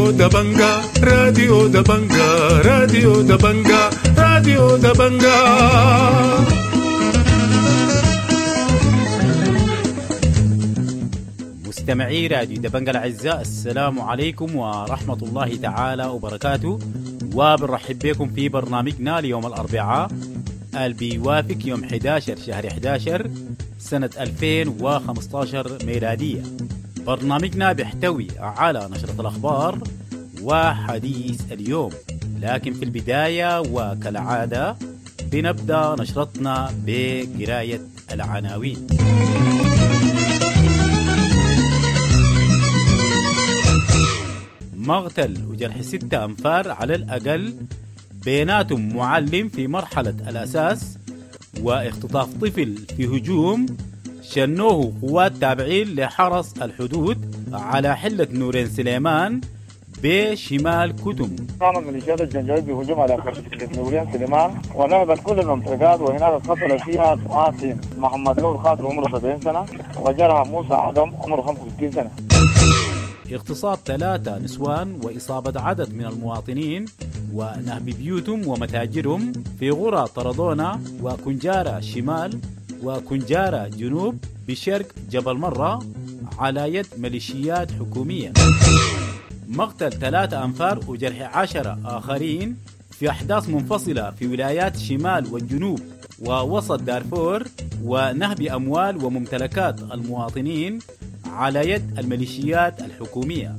راديو دبنجا، راديو دبنجا، راديو دبنجا، راديو دبنجا. مستمعي راديو دبنجا الأعزاء، السلام عليكم ورحمة الله تعالى وبركاته، وبنرحب بكم في برنامجنا ليوم الأربعاء اللي بيوافق يوم 11 شهر 11 سنة 2015 ميلادية. برنامجنا بيحتوي على نشرة الأخبار وحديث اليوم، لكن في البداية وكالعادة بنبدأ نشرتنا بقراية العناوين. مقتل وجرح 6 أنفار على الأقل بيناتهم معلم في مرحلة الأساس، واختطاف طفل في هجوم شنوه قوات تابعين لحرس الحدود على حلة نورين سليمان بشمال كتم. قامت ميليشيات الجنجويد بهجوم على نورين سليمان ونهبت كل الممتلكات، وهناك قتل فيها قاسم محمد نور خاطر عمره 70 سنة، وجرح موسى عدم عمره 65 سنة. اغتصاب 3 نسوان وإصابة عدد من المواطنين ونهب بيوتهم ومتاجرهم في غرى طردونة وكنجارة شمال وكنجارة جنوب بشرق جبل مرة على يد ميليشيات حكومية. مقتل 3 أنفار وجرح 10 آخرين في أحداث منفصلة في ولايات شمال والجنوب ووسط دارفور، ونهب أموال وممتلكات المواطنين على يد الميليشيات الحكومية.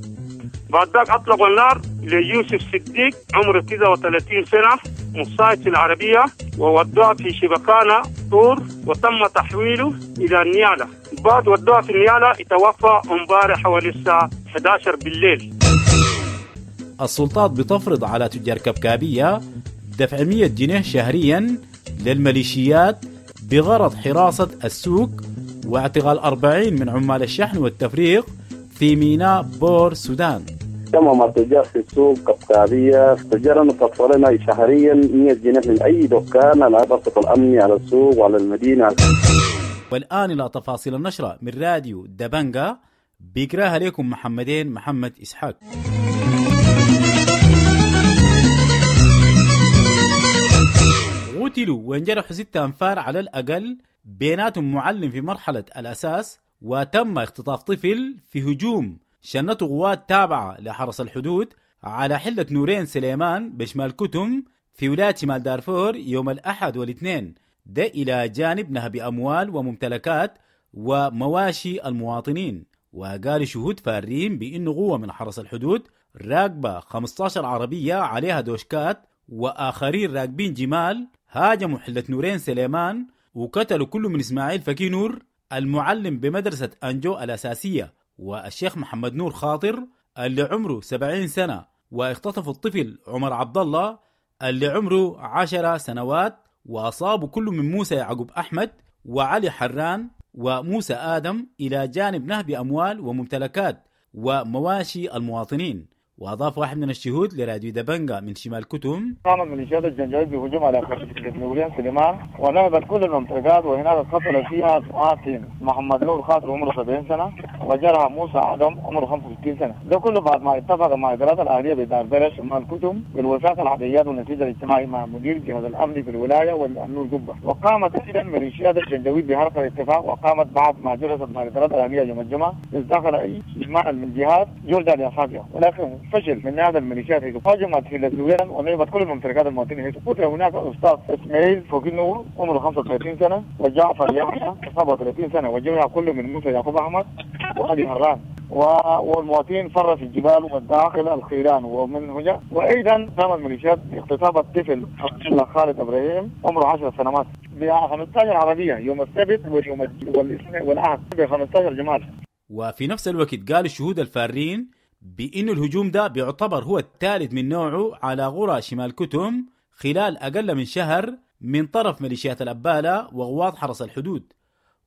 بعد ذلك أطلقوا النار ليوسف صديق عمره 39 سنة مصايد في العربية، وودوه في شبكانة طور وتم تحويله إلى النيالة. بعد ودوه في النيالة اتوفى امبارح حوالي الساعة 11 بالليل. السلطات بتفرض على تجار كبكابية دفع 100 جنيه شهريا للميليشيات بغرض حراسة السوق، واعتقال 40 من عمال الشحن والتفريغ في ميناء بور السودان. تمام التجار في السوق كبكابية تجار تطفلنا شهريا 100 جنيه من أي دكان على ضغط الأمني على السوق وعلى المدينة. والآن إلى تفاصيل النشرة من راديو دبنجا، بيقراها لكم محمدين محمد إسحاق. قتلوا وانجرحوا 6 أنفار على الأقل بيناتهم معلم في مرحلة الأساس، وتم اختطاف طفل في هجوم شنته قوات تابعة لحرس الحدود على حلة نورين سليمان بشمال كتم في ولاية شمال دارفور يوم الأحد والاثنين، ده إلى جانب نهب أموال وممتلكات ومواشي المواطنين. وقال شهود فارين بأنه قوة من حرس الحدود راكبة 15 عربية عليها دوشكات وآخرين راكبين جمال هاجموا حلة نورين سليمان وقتلوا كل من إسماعيل فكي نور المعلم بمدرسة أنجو الأساسية والشيخ محمد نور خاطر اللي عمره 70 سنة، واختطفوا الطفل عمر عبد الله اللي عمره 10 سنوات، وأصابوا كل من موسى يعقوب أحمد وعلي حران وموسى آدم إلى جانب نهب أموال وممتلكات ومواشي المواطنين. وأضاف واحد من الشهود لراديو دبنجا من شمال كتم: قامت ميليشيات الجنجويد بهجوم على نورين سليمان ونهبت كل الممتلكات، وهناك قتل فيها قاسم محمد نور خاطر عمره 70 سنة، وجرح موسى عدم عمره 65 سنة. ده كله بعد ما اتفق مع إدارات الأهلية بدار بلد شمال كتم بالوثائق العاديات والنتيجة الاجتماعي مع مدير جهاز الأمن في الولاية والنور قبة. وقامت أيضا ميليشيات الجنجويد بحرق الاتفاق، وقامت بعد ما جلست مع إدارات الأهلية يوم الجمعة استدخل أي اجماع من جهات جلدا لأصحابها، ولكن فشل من هذا الميليشيات هاجمت في الزويان ونهبت كل الممتلكات المواطنين. قتل هناك الاستاذ اسماعيل فوقي نور عمره 35 سنة، وجعفر يحيى 37 سنة، وجرح كل من موسى يعقوب احمد وعلي هران، والمواطنين فر في الجبال والداخل الخيران ومن هنا. وايضا قامت الميليشيات باغتصاب الطفل عبد الله خالد ابراهيم عمره 10 سنوات ب 15 عربية يوم السبت واليوم والاثنين والاحد ب 15 جمال. وفي نفس الوقت قال الشهود الفارين بأن الهجوم ده بيعتبر هو الثالث من نوعه على غرى شمال كتم خلال أقل من شهر من طرف ميليشيات الأبالة وغواط حرس الحدود.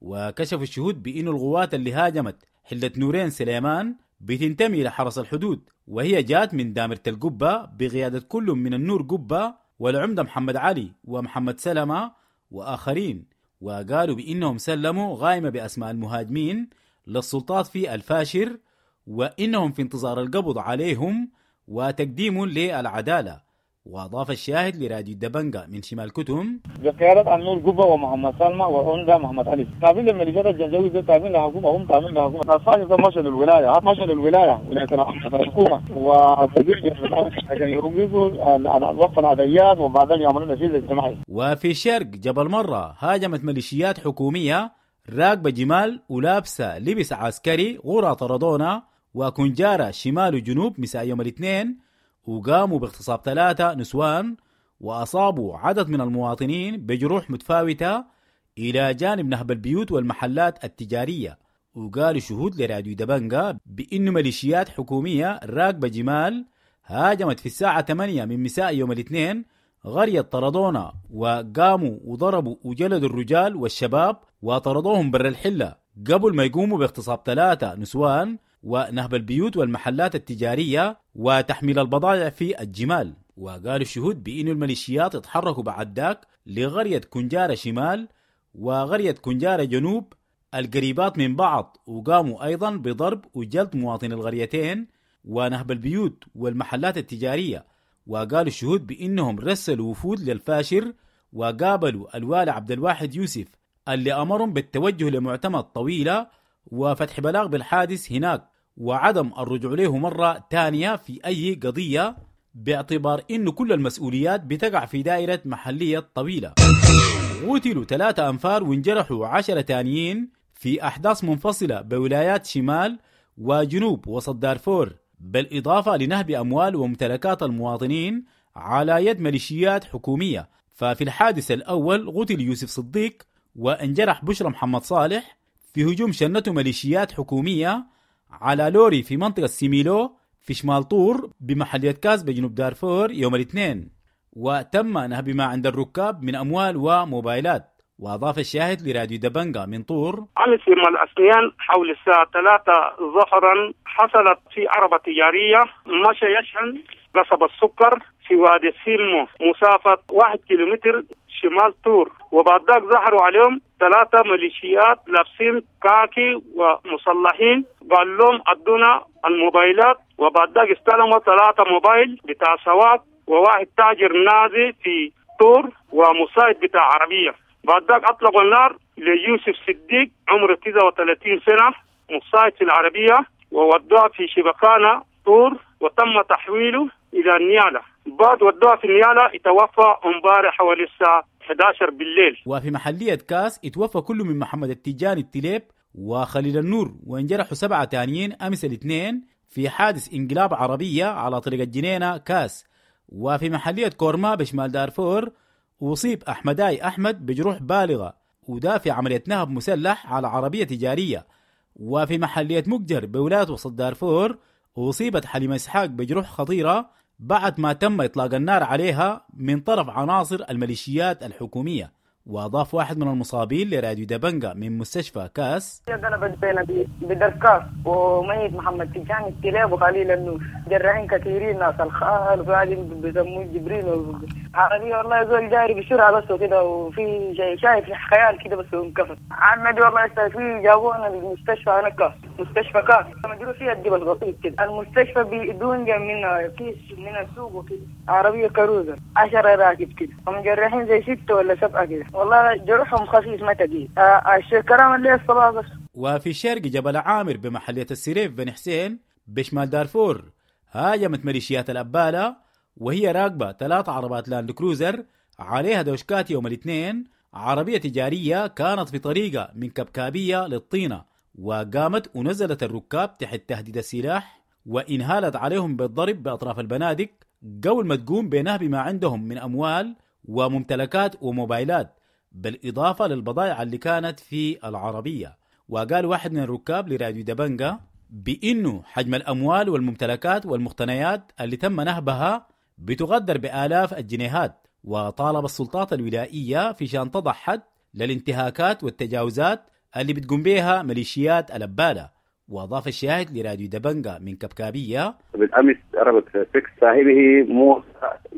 وكشف الشهود بأن الغوات اللي هاجمت حلة نورين سليمان بتنتمي لحرس الحدود، وهي جات من دامرة القبة بقيادة كل من النور قبة والعمدة محمد علي ومحمد سلمة وآخرين. وقالوا بأنهم سلموا غايمة بأسماء المهاجمين للسلطات في الفاشر، وإنهم في انتظار القبض عليهم وتقديمهم للعدالة. وأضاف الشاهد لراديو دبنجا من شمال كتم: بقيادة النور قبة ومحمد سلمى وعنده محمد علي، تابعين للميليشيات الجنجويد، تابعين للحكومة، هم تابعين للحكومة. الصاجة ده مشى للولاية، مشى للولاية ولاية الحكومة وتدريج عشان يوقفوا وقف العديات وبعدين يعملوا نفيذ اجتماعي. وفي شرق جبل مرة هاجمت ميليشيات حكومية راكبة جمال ولابسة لبس عسكري غرى طردونا وكنجارة شمال وجنوب مساء يوم الاثنين، وقاموا باغتصاب 3 نسوان وأصابوا عدد من المواطنين بجروح متفاوتة إلى جانب نهب البيوت والمحلات التجارية. وقالوا شهود لراديو دبنجا بأنه ميليشيات حكومية راكبة جمال هاجمت في الساعة 8 من مساء يوم الاثنين قرية طردونا، وقاموا وضربوا وجلدوا الرجال والشباب وطردوهم بر الحلة قبل ما يقوموا باغتصاب 3 نسوان ونهب البيوت والمحلات التجارية وتحميل البضائع في الجمال. وقالوا الشهود بأن الميليشيات اتحركوا بعد ذاك لقرية كنجارة شمال وقرية كنجارة جنوب القريبات من بعض، وقاموا أيضا بضرب وجلد مواطني القريتين ونهب البيوت والمحلات التجارية. وقالوا الشهود بأنهم رسلوا وفود للفاشر وقابلوا الوالي عبد الواحد يوسف اللي أمرهم بالتوجه لمعتمد طويلة وفتح بلاغ بالحادث هناك وعدم الرجوع له مرة تانية في أي قضية، باعتبار إنه كل المسؤوليات بتقع في دائرة محلية طويلة. قتلوا 3 أنفار وانجرحوا 10 تانيين في أحداث منفصلة بولايات شمال وجنوب وسط دارفور، بالإضافة لنهب أموال وممتلكات المواطنين على يد ميليشيات حكومية. ففي الحادث الأول قتل يوسف صديق وانجرح بشرى محمد صالح في هجوم شنته ميليشيات حكومية على لوري في منطقة سيميلو في شمال طور بمحلية كاس بجنوب دارفور يوم الاثنين، وتم نهب ما عند الركاب من أموال وموبايلات. وأضاف الشاهد لراديو دبنجا من طور: أمس يوم الاثنين حول الساعة 3 ظهرا حصلت في عربة تجارية مشى يشحن قصب السكر في وادي سيلمو مسافة 1 كيلومتر شمال طور، وبعد ذاك ظهروا عليهم 3 ميليشيات لابسين كاكي ومصلحين، قال لهم ادونا الموبايلات، وبعد ذاك استلموا 3 موبايل بتاع سواق وواحد تاجر نازي في طور ومساعد بتاع عربية. بعد ذاك أطلقوا النار ليوسف صديق عمره 39 سنة مساعد في العربية وودوه في شبكانة طور وتم تحويله إلى النيالة. بعد ودوه في النيالة اتوفى امبارح حوالي الساعة 11 بالليل. وفي محلية كاس اتوفى كل من محمد التجاني التليب وخليل النور، وانجرحوا 7 تانيين أمس الاثنين في حادث انقلاب عربية على طريق الجنينة كاس. وفي محلية كورما بشمال دارفور أصيب أحمداي أحمد بجروح بالغة وده في عملية نهب مسلح على عربية تجارية. وفي محلية مقجر بولاية وسط دارفور أصيبت حليمة إسحاق بجروح خطيرة بعد ما تم إطلاق النار عليها من طرف عناصر الميليشيات الحكومية. وأضاف واحد من المصابين لراديو دبنجا من مستشفى كاس: قلبت بين بدركاس وميت محمد تجاني التلاب وخليل النور، جراحين كثيرين ناس الخال وقاعدين بيسموه جبريل عربية والله زول جاري بسرعة بس وكده، وفي شايف خيال كده بس وانكفت عمدي والله. في جابونا المستشفى أنا كاس، مستشفى كاس مدرو فيها الجبل بسيط كده، المستشفى بدون منها كيس من السوق وكده، عربية كروزة 10 راكب كده ومجرحين زي 6 ولا 7 كده، والله جرحهم خفيف ما تقيل. الكلام اللي الصباح بس. وفي شرق جبل عامر بمحلية السريف بن حسين بشمال دارفور هاجمت ميليشيات الأبالة وهي راكبة 3 عربات لاند كروزر عليها دوشكات يوم الاثنين عربية تجارية كانت في طريقة من كبكابية للطينة، وقامت ونزلت الركاب تحت تهديد السلاح وإنهالت عليهم بالضرب بأطراف البنادق قبل ما تقوم بنهب ما عندهم من أموال وممتلكات وموبايلات، بالإضافة للبضائع اللي كانت في العربية. وقال واحد من الركاب لراديو دبنجا بأنه حجم الأموال والممتلكات والمقتنيات اللي تم نهبها بتقدر بآلاف الجنيهات، وطالب السلطات الولائية في شان تضع حد للانتهاكات والتجاوزات اللي بتقوم بها ميليشيات الأبالة. وأضاف الشاهد لراديو دبنجا من كبكابية: بالأمس عربة فيكس صاحبه موسى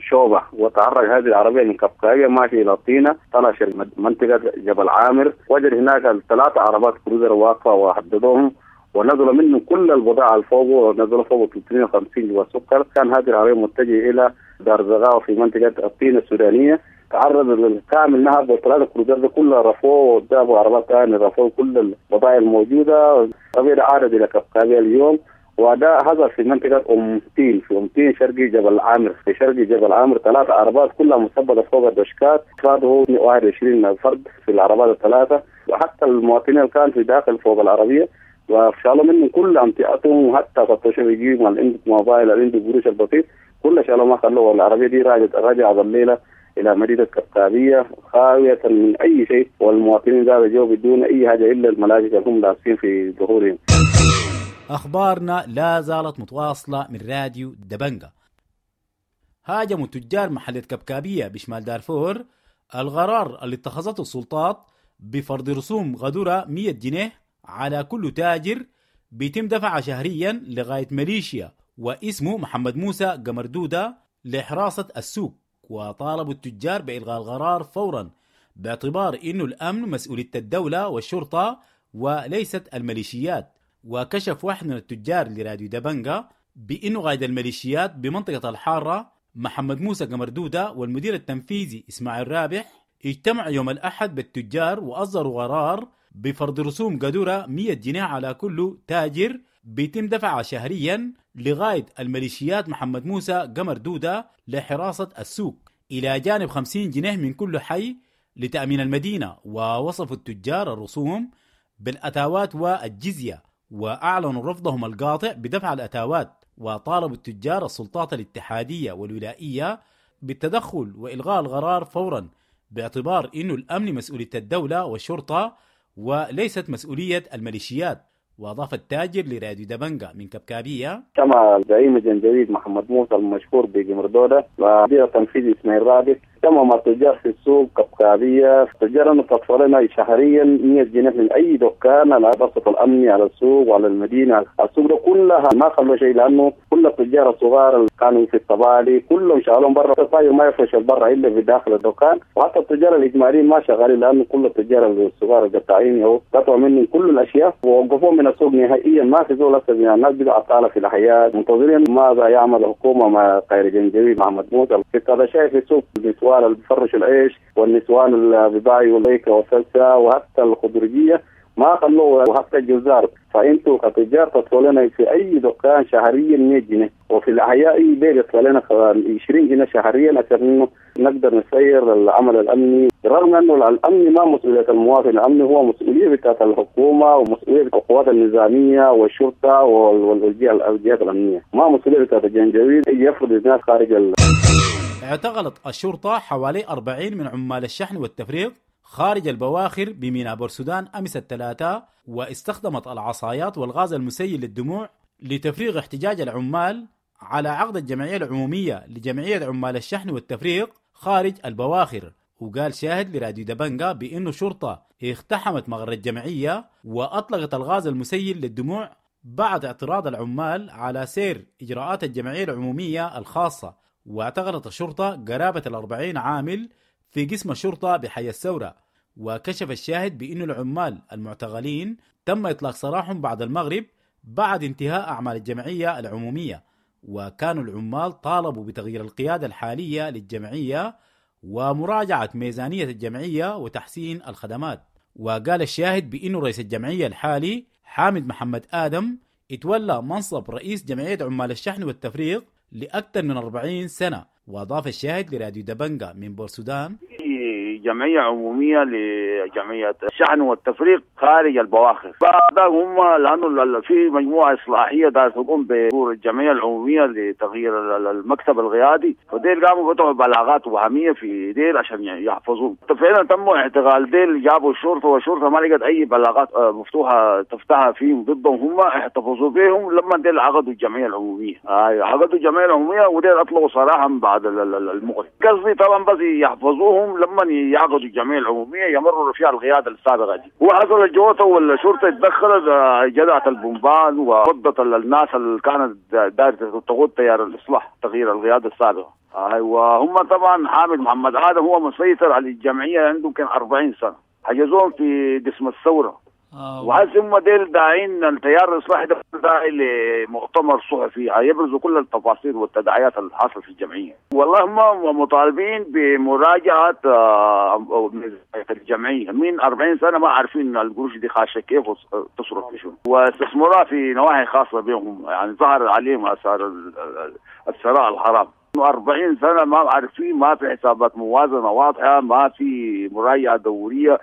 شوبة، وتعرض هذه العربية من كبكابية ماشي إلى طينة، طلع منطقة جبل عامر، وجد هناك 3 عربات كروزر واقفة وحددوهم ونزلوا منه كل البضاعة الفوق، ونزلوا فوق 350 جوا سكر. كان هذه العربية متجهة الى دار زغاوه في منطقة الطين السودانية، تعرض للكامل نهب، وثلاثة كروزات كلها رفوه وجابوا عربات ثانية رفوه كل البضائع الموجودة. العربية عادت الى كبكابيه اليوم، وده حصل في منطقة أم تين، في أم تين شرقي جبل عامر، في شرقي جبل عامر 3 عربات كلها مثبتة فوق الدشكات، أفراده 21 فرد في العربات الثلاثة، وحتى المواطنين اللي كانوا في داخل فوق العربية وشالوا منهم كل أمتعتهم، وحتى فتشوا يجيبوا اللي عنده موبايل اللي عنده قروش البسيط كل شالوا ما خلوه. العربية دي رجعت الليلة إلى مدينة كبكابية خاوية من أي شيء، والمواطنين ذا جو بدون أي حاجة إلا الملابس اللي هم لابسين في ظهورهم. أخبارنا لا زالت متواصلة من راديو دبنجة. هاجموا تجار محلة كبكابية بشمال دارفور القرار اللي اتخذته السلطات بفرض رسوم غدورة 100 جنيه على كل تاجر بيتم دفعها شهريا لغاية ماليشيا واسمه محمد موسى قمردودة لحراسة السوق. وطالبوا التجار بإلغاء القرار فورا باعتبار إنه الأمن مسؤولية الدولة والشرطة وليست الميليشيات. وكشف واحد من التجار لراديو دبنجة بأنه قائد الميليشيات بمنطقة الحارة محمد موسى قمردودة والمدير التنفيذي إسماعيل رابح اجتمعوا يوم الأحد بالتجار وأصدروا قرار بفرض رسوم قدرة 100 جنيه على كل تاجر بيتم دفعها شهريا لغاية الميليشيات محمد موسى قمردودة لحراسة السوق، إلى جانب 50 جنيه من كل حي لتأمين المدينة. ووصفوا التجار الرسوم بالأتاوات والجزية وأعلنوا رفضهم القاطع بدفع الأتاوات. وطالبوا التجار السلطات الاتحادية والولائية بالتدخل وإلغاء القرار فورا باعتبار إنه الأمن مسؤولية الدولة والشرطة وليست مسؤولية الميليشيات. وأضاف التاجر لراديو دبنجة من كبكابية: كما زعيم الجنجويد محمد موسى المشهور بقمردودة ومدير التنفيذي إسماعيل رابح كما مع التجار في السوق كبكابية، التجار أنه تدفع لنا شهريا 100 جنيه من أي دكان على بسط الأمني على السوق وعلى المدينة. السوق ده كلها ما خلوا شيء، لأنه كل التجار الصغار اللي كانوا في الطبالي كلهم شغالهم برا، الطاير ما يفرش برا إلا في داخل الدكان، وحتى التجار الإجماليين ما شغالين لأنه كل التجار الصغار القطاعين هو قطعوا منهم كل الأشياء ووقفوهم من السوق نهائيا. ما في زول هسه، الناس بدأت عطالة في الحياة، منتظرين ماذا يعمل الحكومة مع قائد الجنجويد محمد موسى. في هذا شيء في السوق النسوان اللي بيفرشوا العيش والنسوان اللي بيباعوا البيكة والسلسة وحتى الخضرجية ما خلوه وحتى الجزار. فانتوا كتجار تدفعوا لنا في اي دكان شهريا 100 جنيه، وفي الاحياء اي بيت يدفع لنا 20 جنيه شهريا عشان انه نقدر نسير العمل الامني، رغم انه الامن ما مسؤولية المواطن، الامن هو مسؤولية بتاعت الحكومة ومسؤولية القوات النظامية والشرطة والجهات الامنية، ما مسؤولية بتاعت الجنجويد يفرض الناس خارج. اعتقلت الشرطة حوالي 40 من عمال الشحن والتفريغ خارج البواخر بميناء بورسودان أمس الثلاثاء، واستخدمت العصايات والغاز المسيل للدموع لتفريغ احتجاج العمال على عقد الجمعية العمومية لجمعية عمال الشحن والتفريغ خارج البواخر. وقال شاهد لراديو دبنجة بأنه شرطة اقتحمت مغر الجمعية وأطلقت الغاز المسيل للدموع بعد اعتراض العمال على سير إجراءات الجمعية العمومية الخاصة. واعتقلت الشرطة قرابة 40 عامل في قسم الشرطة بحي الثورة. وكشف الشاهد بأن العمال المعتقلين تم إطلاق سراحهم بعد المغرب بعد انتهاء أعمال الجمعية العمومية، وكانوا العمال طالبوا بتغيير القيادة الحالية للجمعية ومراجعة ميزانية الجمعية وتحسين الخدمات. وقال الشاهد بأنه رئيس الجمعية الحالي حامد محمد آدم اتولى منصب رئيس جمعية عمال الشحن والتفريغ لأكثر من 40 سنة. وأضاف الشاهد لراديو دبنجة من بورسودان: جمعية عمومية لجمعية الشحن والتفريغ خارج البواخر، بعد هم لأنه في مجموعة إصلاحية دار تقوم بدور الجمعية العمومية لتغيير المكتب القيادي، فديل قاموا فتحوا بلاغات وهمية في ديل عشان يحفظوهم. فعلا تم اعتقال ديل، جابوا الشرطة والشرطة ما لقت أي بلاغات مفتوحة تفتحها فيهم ضدهم، هم احتفظوا بهم لما ديل عقدوا الجمعية العمومية. عقدوا الجمعية العمومية وديل أطلقوا سراحهم بعد المغرب. قصدي طبعا بس يحفظوهم لما يعقدوا الجمعية العمومية يمروا فيها القيادة السابقة دي. وحصل الجوطه والشرطة اتدخلت، جدعت البومبان وفضت الناس اللي كانت دايرة تقود تيار الاصلاح تغيير القيادة السابقة. وهم طبعا حامد محمد ادم هو مسيطر على الجمعية، عنده يمكن 40 سنة، حجزوهم في قسم الثورة. وهسه هم ديل داعين التيار الاصلاحي ده داعي لمؤتمر صحفي هيبرزوا كل التفاصيل والتداعيات اللي حاصله في الجمعية. والله هم مطالبين بمراجعه الجمعية من 40 سنة، ما عارفين القروش دي خاشه كيف وتصرف في شنو، واستثمروها في نواحي خاصة بهم، يعني ظهر عليهم اثار الثراء الحرام. 40 سنة ما عارفين، ما في حسابات موازنه واضحة، ما في مراجعه دورية.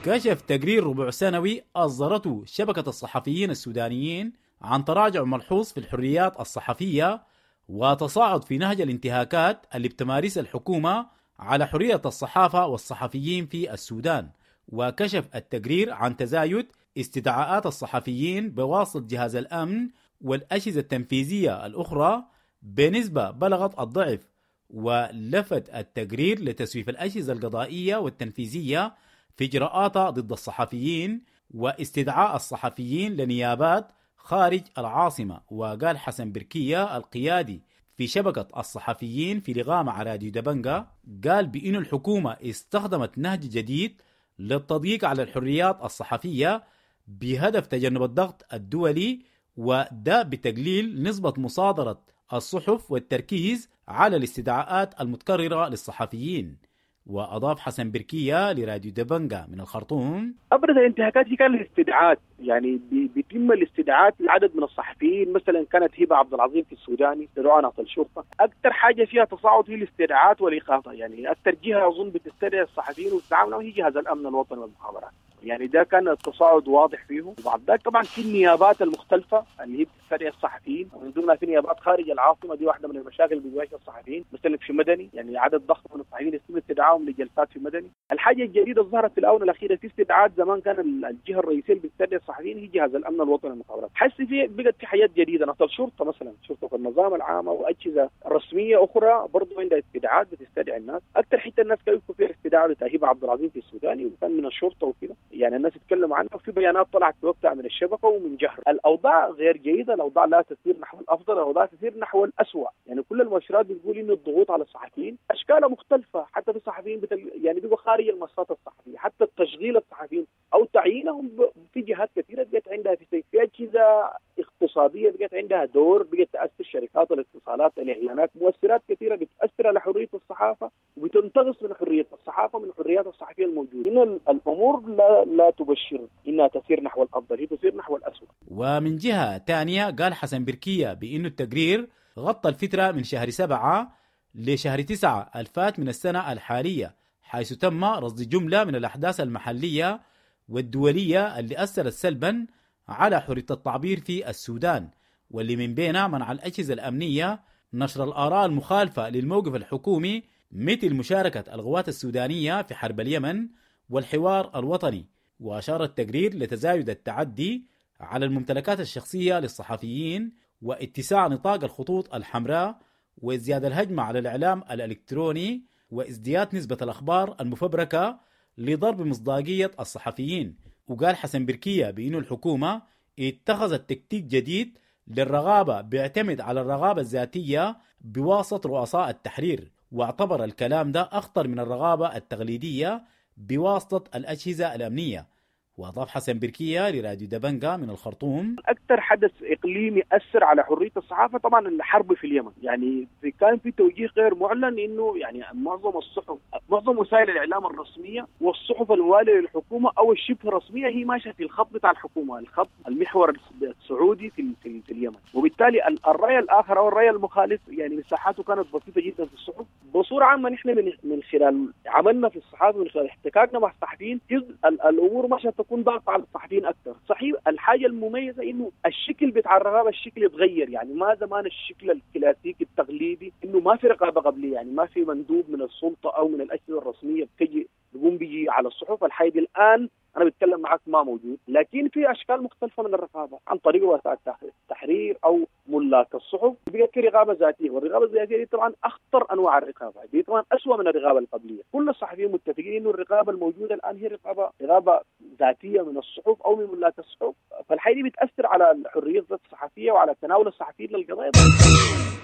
كشف تقرير ربع سنوي أصدرته شبكة الصحفيين السودانيين عن تراجع ملحوظ في الحريات الصحفية وتصاعد في نهج الانتهاكات اللي بتمارسها الحكومة على حرية الصحافة والصحفيين في السودان. وكشف التقرير عن تزايد استدعاءات الصحفيين بواسطة جهاز الأمن والأجهزة التنفيذية الأخرى بنسبة بلغت الضعف. ولفت التقرير لتسويف الأجهزة القضائية والتنفيذية في إجراءاتها ضد الصحفيين واستدعاء الصحفيين لنيابات خارج العاصمة. وقال حسن بركية القيادي في شبكة الصحفيين في لقاء مع راديو دبنجا، قال بأن الحكومة استخدمت نهج جديد للتضييق على الحريات الصحفية بهدف تجنب الضغط الدولي، وده بتقليل نسبة مصادرة الصحف والتركيز على الاستدعاءات المتكررة للصحفيين. وأضاف حسن بركية لراديو دبنجا من الخرطوم: أبرز الانتهاكات هي كانت الاستدعاءات، يعني بيتم الاستدعاءات لعدد من الصحفيين، مثلا كانت هبة عبد العظيم في السوداني استدعوها ناس الشرطة. أكثر حاجة فيها تصاعد هي الاستدعاءات والإيقافات، يعني أكثر جهة أظن بتستدعي الصحفيين وتتعامل هي جهاز الأمن الوطني والمخابرات، يعني ده كان التصاعد واضح فيه. وبعد ذلك طبعا في النيابات المختلفة اللي هي بتستدعي الصحفيين، ومن ضمنها في نيابات خارج العاصمة، دي واحدة من المشاكل اللي بتواجه الصحفيين، مثلا في مدني يعني عدد ضخم من الصحفيين يتم استدعائهم لجلسات في مدني. الحاجة الجديدة ظهرت في الاونة الاخيرة في استدعاءات، زمان كان الجهة الرئيسية اللي بتستدعي الصحفيين هي جهاز الامن الوطني والمخابرات، حس في بقت في حاجات جديدة، نقل شرطه مثلا، شرطه النظام العام او اجهزة رسمية اخرى برضه عندها استدعاءات بتستدعي الناس. اكثر حتة الناس كانوا فيها استدعاء لتهيبه عبد العظيم في السوداني وكان من الشرطة وكذا، يعني الناس تتكلم عنها، وفي بيانات طلعت في وقتها من الشبكة ومن جهر. الاوضاع غير جيدة، الاوضاع لا تسير نحو الافضل، الاوضاع تسير نحو الاسوء، يعني كل المؤشرات بتقول انه الضغوط على الصحفيين اشكالها مختلفة، حتى في صحفيين يعني بيبقوا خارج المنصات الصحفية، حتى التشغيل الصحفيين او تعيينهم في جهات كثيرة بقت عندها في اجهزة اقتصادية بقت عندها دور، بقت تاثر شركات الاتصالات، الاعلانات، مؤثرات كثيرة بتاثر على حرية الصحافة وبتنتقص من حرية الصحافة من الحريات الصحفية الموجودة. ان الامور لا تبشر انها تسير نحو الافضل، هي تسير نحو الاسوء. ومن جهة ثانية قال حسن بركيه بانه التقرير غطى الفترة من شهر 7 لشهر 9 الفات من السنة الحالية، حيث تم رصد جملة من الاحداث المحلية والدولية اللي اثرت سلبا على حرية التعبير في السودان، واللي من بينها منع الاجهزة الامنية نشر الاراء المخالفة للموقف الحكومي، مثل مشاركة القوات السودانية في حرب اليمن والحوار الوطني. وأشار التقرير لتزايد التعدي على الممتلكات الشخصية للصحفيين واتساع نطاق الخطوط الحمراء وازدياد الهجمة على الإعلام الإلكتروني وازدياد نسبة الأخبار المفبركة لضرب مصداقية الصحفيين. وقال حسن بركية بأن الحكومة اتخذت تكتيك جديد للرغابة بيعتمد على الرغابة الذاتية بواسطة رؤساء التحرير، واعتبر الكلام ده أخطر من الرغابة التقليدية بواسطة الأجهزة الأمنية. وأضاف حسن بركية لراديو دبنجا من الخرطوم: أكثر حدث إقليمي أثر على حرية الصحافة طبعا الحرب في اليمن، يعني كان في توجيه غير معلن إنه يعني معظم الصحف، معظم وسائل الإعلام الرسمية والصحف الموالية للحكومة أو الشبه رسمية هي ماشية في الخط بتاع الحكومة، الخط المحور السعودي في اليمن، وبالتالي الرأي الآخر أو الرأي المخالف يعني مساحاته كانت بسيطة جدا في الصحف. بصورة عامة نحن من خلال عملنا في الصحافة، من خلال احتكاكنا مع الصحفيين، الأمور ماشية تكون ضغط على الصحفيين اكثر. صحيح الحاجة المميزة انه الشكل بتاع الرقابة الشكل يتغير، يعني ما زمان الشكل الكلاسيكي التقليدي انه ما في رقابه قبليه، يعني ما في مندوب من السلطة او من الاجهزة الرسمية بتجي بيقوم بيجي على الصحف. الحاجة دي الان انا بتكلم معك ما موجود، لكن في اشكال مختلفة من الرقابة عن طريق رؤساء التحرير او ملاك الصحف، بقت في رقابه ذاتية، والرقابه الذاتية دي طبعا اخطر انواع الرقابة، دي طبعا اسوء من الرقابة القبلية. كل الصحفيين متفقين انه الرقابة الموجودة الان هي رقابه ذاتية من الصحف او من ملاك الصحف، فالحاجه دي بتاثر على الحرية الصحفية وعلى تناول الصحفيين للقضايا.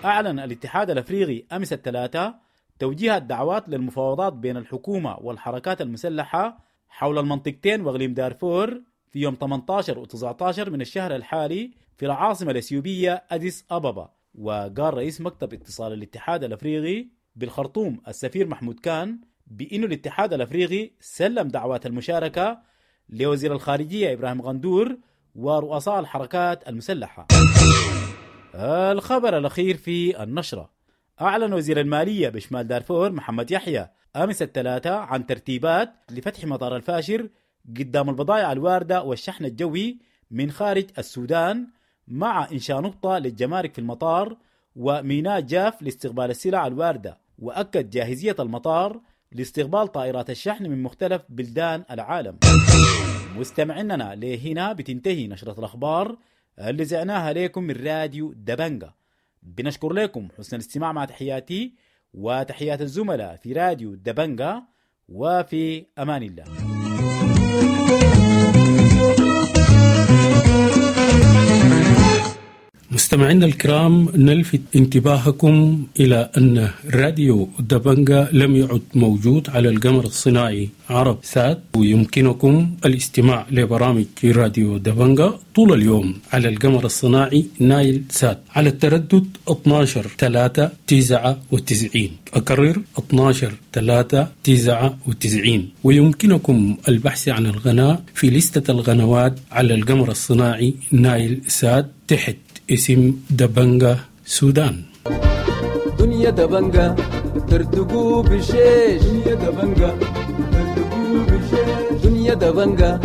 اعلن الاتحاد الافريقي امس الثلاثاء توجيه الدعوات للمفاوضات بين الحكومة والحركات المسلحة حول المنطقتين واقليم دارفور في يوم 18 و19 من الشهر الحالي في العاصمة الإثيوبية أديس أبابا. وقال رئيس مكتب اتصال الاتحاد الأفريقي بالخرطوم السفير محمود كان بأن الاتحاد الأفريقي سلم دعوات المشاركة لوزير الخارجية إبراهيم غندور ورؤساء الحركات المسلحة. الخبر الأخير في النشرة: أعلن وزير المالية بشمال دارفور محمد يحيى أمس الثلاثاء عن ترتيبات لفتح مطار الفاشر قدام البضائع الواردة والشحن الجوي من خارج السودان، مع إنشاء نقطة للجمارك في المطار وميناء جاف لاستقبال السلع الواردة. وأكد جاهزية المطار لاستقبال طائرات الشحن من مختلف بلدان العالم. مستمعيننا، لهنا بتنتهي نشرة الأخبار اللي زعناها لكم من راديو دبنجا. بنشكر لكم حسن الاستماع، مع تحياتي وتحيات الزملاء في راديو دبنجا، وفي أمان الله. مستمعينا الكرام، نلفت انتباهكم إلى أن راديو دبنجا لم يعد موجود على القمر الصناعي عرب سات، ويمكنكم الاستماع لبرامج راديو دبنجا طول اليوم على القمر الصناعي نايل سات على التردد 12 3 99. أكرر 12 3 99. ويمكنكم البحث عن القناة في لستة القنوات على القمر الصناعي نايل سات تحت اسم دبنجا سودان. دنيا دبنجا ترتقو بشيش، دنيا دبنجا ترتقو بشيش، دنيا دبنجا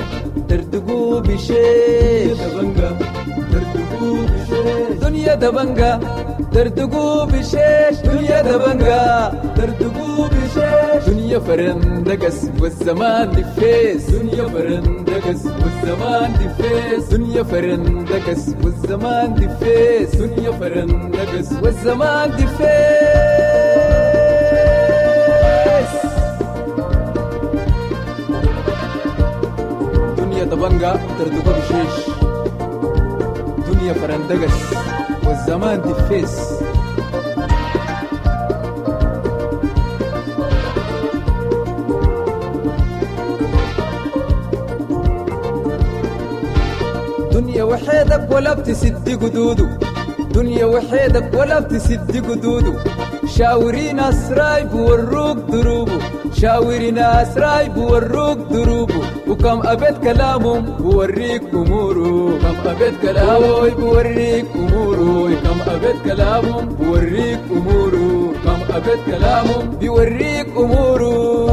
ترتقو بشيش، دبنجا ترتقو بشيش، دنيا دبنجا ترتقو بشيش، دنيا دبنجا ترتقو بشيش، دنيا فرندقس والزمان دفيس، دنيا فرندقس والزمان دفيس، دنيا فرندقس والزمان دفيس، دنيا فرندقس والزمان دفيس. دنيا دبنجا ترتقو بشيش، دنيا فرندقس والزمان دفيس. دنيا وحيدك ولا بتسد قدوده، دنيا وحيدك ولا بتسد قدوده، شاوري ناس رايب وروك دروبه، شاوري ناس رايب وروك دروبه، وكم أبيت كلامهم بوريك أموره، كم أبيت كلامه بوريك أموره، كم أبيت كلامهم بوريك أموره، كم أبيت كلامهم بيوريك أموره.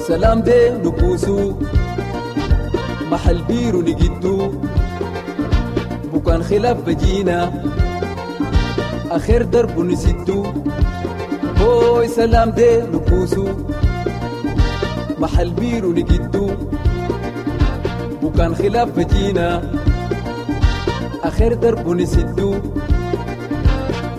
سلام دي نبوسو محل بيرو نجدو، بكان خلاف بجينا آخر درب نسدو، هوي سلام دي نبوسو محل بيرو نجدو، بكان خلاف بجينا آخر درب نسدو،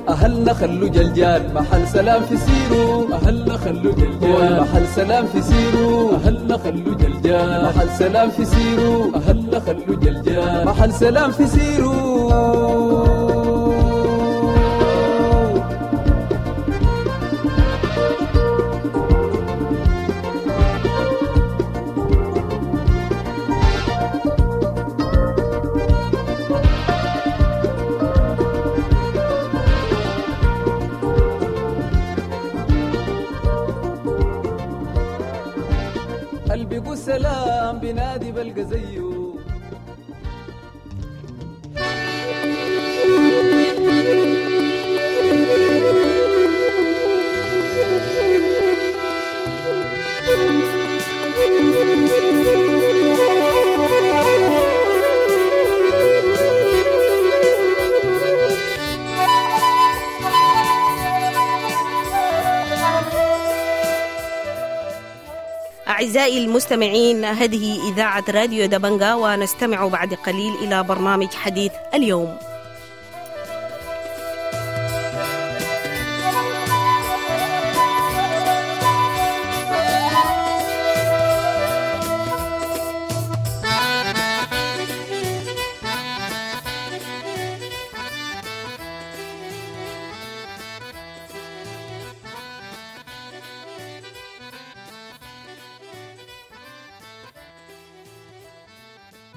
أهلنا خلو جلجال محل سلام في سيرو، أهلنا خلو جلجال محل سلام في سيرو، أهلنا خلو جلجال محل سلام في سيرو، أهلنا خلو جلجال محل سلام في سيرو. سلام بنادي بلقى زيه. أعزائي المستمعين، هذه إذاعة راديو دبنجا، ونستمع بعد قليل إلى برنامج حديث اليوم.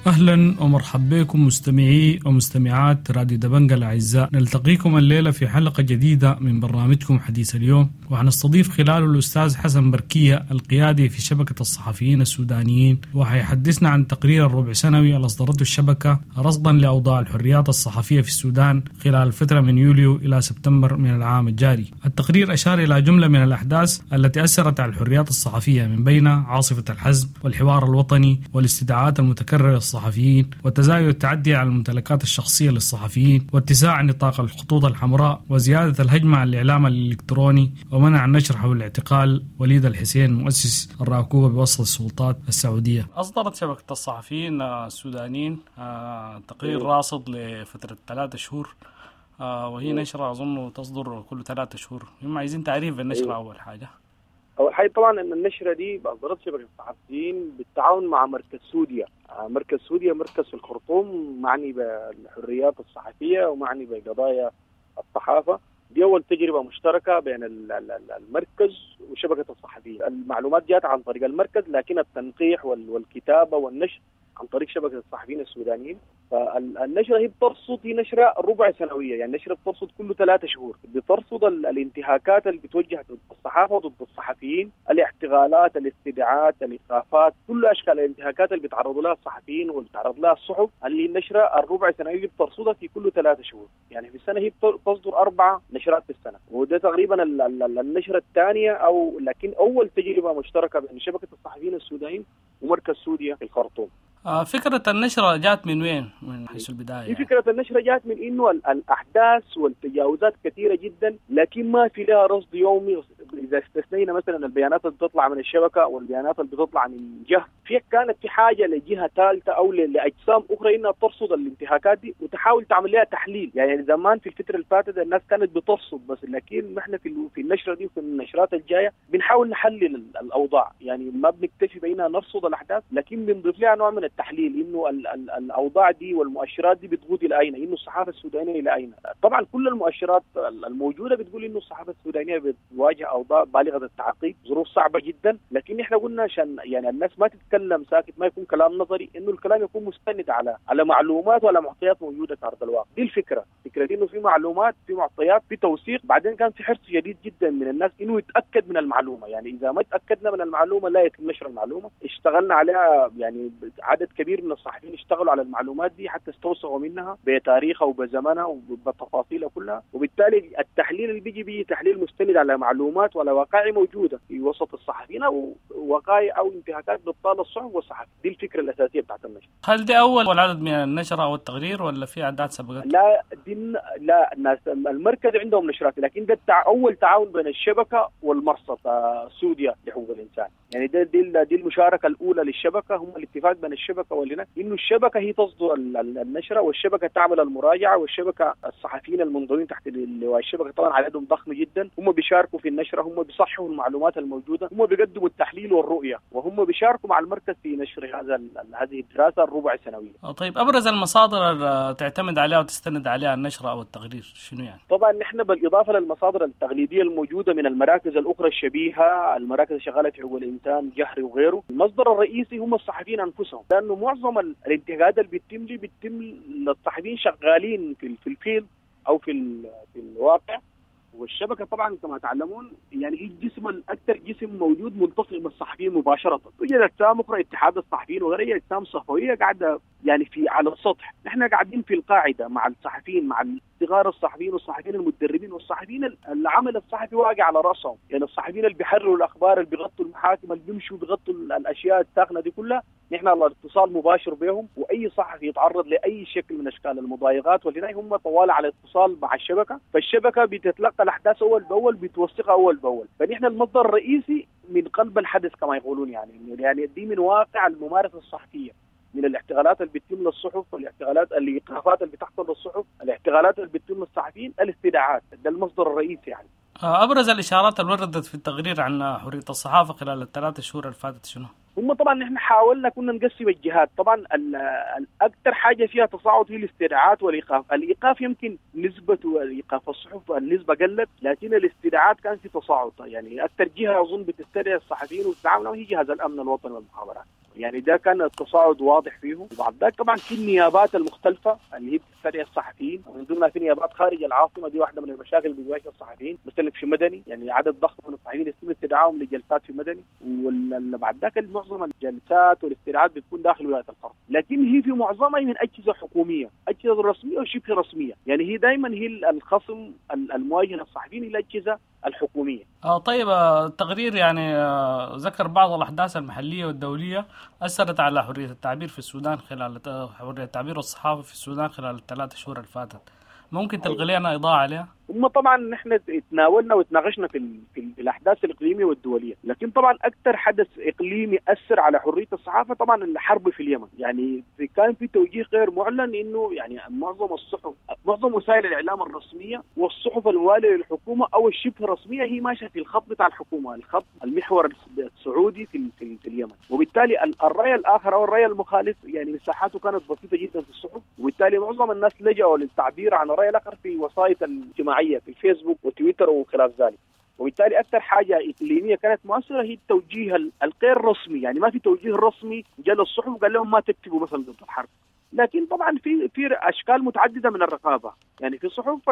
أهلا ومرحبا بكم مستمعي ومستمعات راديو دبنجا الأعزاء. نلتقيكم الليلة في حلقة جديدة من برنامجكم حديث اليوم، وحنستضيف خلاله الأستاذ حسن بركية القيادي في شبكة الصحفيين السودانيين، وحيحدثنا عن تقرير الربع سنوي اللي أصدرته الشبكة رصدا لأوضاع الحريات الصحفية في السودان خلال الفترة من يوليو إلى سبتمبر من العام الجاري. التقرير أشار إلى جملة من الأحداث التي أثرت على الحريات الصحفية، من بين عاصفة الحزم والحوار الوطني والاستدعاءات المتكررة للصحفيين وتزايد التعدي على الممتلكات الشخصية للصحفيين واتساع نطاق الخطوط الحمراء وزيادة الهجمة على الإعلام الإلكتروني ومنع النشر حول اعتقال وليد الحسين مؤسس الراكوبة بوسط السلطات السعودية. أصدرت شبكة الصحفيين السودانيين تقرير راصد لفترة 3 شهور، وهي نشرة أظن تصدر كل 3 شهور. هم عايزين تعريف بالنشرة. أول حاجة طبعا ان النشرة دي اصدرت شبكة الصحفيين بالتعاون مع مركز سوديا. مركز سوديا مركز في الخرطوم معني بالحريات الصحفية ومعني بقضايا الصحافة. دي اول تجربه مشتركة بين المركز وشبكة الصحفيين. المعلومات جاءت عن طريق المركز، لكن التنقيح والكتابة والنشر عن طريق شبكة الصحفيين السودانيين. فالنشره هي بترصد، هي نشره ربع سنوية، يعني نشره بترصد كل 3 شهور، بترصد الانتهاكات اللي بتوجه ضد الصحافة وضد الصحفيين، الاعتقالات، الاستدعاءات، الايقافات، كل اشكال الانتهاكات اللي بيتعرضوا لها الصحفيين واللي بيتعرض لها الصحف، اللي النشرة الربع سنوية بترصدها في كل 3 شهور. يعني في السنة هي بتصدر 4 نشرات في السنة، وده تقريبا النشرة الثانية، او لكن اول تجربه مشتركة بين شبكة الصحفيين السودانيين ومركز سوديا في الخرطوم. فكرة النشرة جات من وين؟ من حيث البداية يعني. فكرة النشرة جات من إنه الأحداث والتجاوزات كثيرة جدا، لكن ما في لها رصد يومي. إذا استثنينا مثلا البيانات اللي بتطلع من الشبكة والبيانات اللي بتطلع من جهة، في كانت في حاجة لجهة ثالثة أو لأجسام أخرى إنها ترصد الانتهاكات دي وتحاول تعمل لها تحليل. يعني زمان في الفترة اللي فاتت الناس كانت بترصد بس، لكن نحن في النشرة دي وفي النشرات الجاية بنحاول نحلل الأوضاع. يعني ما بنكتفي بأننا نرصد الأحداث، لكن بنضيف لها نوع من التحليل، انه الاوضاع دي والمؤشرات دي بتقود الى اين، انه الصحافة السودانية الى اين. طبعا كل المؤشرات الموجودة بتقول انه الصحافة السودانية بتواجه اوضاع بالغة التعقيد، ظروف صعبة جدا، لكن احنا قلنا عشان يعني الناس ما تتكلم ساكت، ما يكون كلام نظري، انه الكلام يكون مستند على معلومات وعلى معطيات موجودة في ارض الواقع. دي الفكرة، فكرة انه في معلومات، في معطيات، في توثيق. بعدين كان في حرص شديد جدا من الناس انه يتاكد من المعلومة، يعني اذا ما تاكدنا من المعلومة لا يتم نشر المعلومة. اشتغلنا عليها، يعني عدد كبير من الصحفيين اشتغلوا على المعلومات دي حتى استوثقوا منها بتاريخها وبزمنها وبتفاصيلها كلها، وبالتالي التحليل اللي بيجي بيه تحليل مستند على معلومات وعلى وقائع موجودة في وسط الصحفيين او وقائع او انتهاكات بتطال الصحف والصحفي. دي الفكرة الاساسية بتاعت النشر. هل دي اول عدد من النشرة او التقرير ولا في اعداد سبقت؟ لا، دي لا، الناس المركز عندهم نشرات، لكن ده اول تعاون بين الشبكة والمرصد سوديا لحقوق الانسان. يعني دي المشاركة الاولى للشبكه، هم الاتفاق بين الشبكة والهنا انه الشبكة هي تصدر النشرة، والشبكة تعمل المراجعة، والشبكة الصحفيين المنضوين تحت لواء الشبكة طبعا عددهم ضخم جدا، هم بيشاركوا في النشرة، هم بيصححوا المعلومات الموجودة، هم بيقدموا التحليل والرؤية، وهم بيشاركوا مع المركز في نشر هذه الدراسة الربع سنوية. طيب، ابرز المصادر اللي تعتمد عليها وتستند عليها النشرة او التقرير شنو يعني؟ طبعا نحن بالاضافة للمصادر التقليدية الموجودة من المراكز الاخرى الشبيهة، المراكز الشغاله في حقوق الانسان، جهري وغيره، المصدر الرئيسي هم الصحفيين انفسهم، لانه معظم الانتهاكات اللي بتتم للصحفيين شغالين في ال field او في الواقع. والشبكة طبعا كما تعلمون يعني هي الجسم الاكثر جسم موجود ملتصق بالصحفيين مباشرة. توجد اجسام اخرى، اتحاد الصحفيين وغيرها، اجسام صحفية قاعدة يعني في على السطح، نحن قاعدين في القاعدة مع الصحفيين، مع صغار الصحفيين والصحفيين المتدربين والصحفيين العمل الصحفي واقع على راسهم، يعني الصحفيين اللي بيحرروا الاخبار، اللي بيغطوا المحاكم، اللي بيمشوا بيغطوا الاشياء الساخنة دي كلها، نحن على اتصال مباشر بهم، واي صحفي يتعرض لاي شكل من اشكال المضايقات والهنا هم طوال على اتصال مع الشبكة، فالشبكه بتتلقى الاحداث اول باول، بتوثقها اول باول، فنحن المصدر الرئيسي من قلب الحدث كما يقولون، يعني دي من واقع الممارسة الصحفية، من الاعتقالات اللي بتتم للصحف، والاعتقالات الايقافات اللي بتحصل للصحف، الاعتقالات اللي بتتم للصحفيين، الاستدعاءات، ده المصدر الرئيسي يعني. ابرز الاشارات اللي وردت في التقرير عن حرية الصحافة خلال ال3 شهور اللي فاتت شنو؟ هم طبعا نحن حاولنا كنا نقسم الجهات، طبعا الاكثر حاجة فيها تصاعد هي الاستدعاءات والايقاف، الايقاف يمكن نسبه ايقاف الصحف النسبة قلت، لكن الاستدعاءات كان في تصاعد، يعني اكثر جهة اظن بتستدعي الصحفيين وتتعامل هي جهاز الامن الوطني والمخابرات. يعني ده كان التصاعد واضح فيه. وبعد ذلك طبعا في النيابات المختلفة اللي هي بتستدعي الصحفيين، ومن ضمنها في نيابات خارج العاصمة، دي واحدة من المشاكل اللي بتواجه الصحفيين. مثلا في مدني يعني عدد ضخم من الصحفيين يتم استدعائهم لجلسات في مدني، وبعد ذاك معظم الجلسات والاستدعاءات بتكون داخل ولاية الخرطوم، لكن هي في معظمها من اجهزة حكومية، اجهزة رسمية وشبه رسمية، يعني هي دائما هي الخصم المواجه للصحفيين هي الاجهزة الحكومية. طيب التقرير يعني ذكر بعض الاحداث المحلية والدولية اثرت على حرية التعبير في السودان خلال حرية التعبير والصحافة في السودان خلال الثلاث شهور اللي فاتت، ممكن تلقي لنا اضاءه عليها؟ هم طبعا نحن تناولنا وتناقشنا في الاحداث الاقليمية والدولية، لكن طبعا اكثر حدث اقليمي اثر على حرية الصحافة طبعا الحرب في اليمن. يعني كان في توجيه غير معلن انه يعني معظم الصحف، معظم وسائل الاعلام الرسمية والصحف الموالية للحكومة او الشبه رسمية هي ماشية في الخط بتاع الحكومة، الخط المحور السعودي في اليمن، وبالتالي الراي الاخر او الراي المخالف يعني مساحاته كانت بسيطة جدا في الصحف، وبالتالي معظم الناس لجأوا للتعبير عن الراي الاخر في وسائل الاجتماعية في الفيسبوك وتويتر وخلاف ذلك. وبالتالي اكثر حاجة اقليمية كانت مؤثرة هي التوجيه الغير رسمي، يعني ما في توجيه رسمي جاء للصحف وقال لهم ما تكتبوا مثلا ضد الحرب، لكن طبعا في اشكال متعددة من الرقابة، يعني في صحف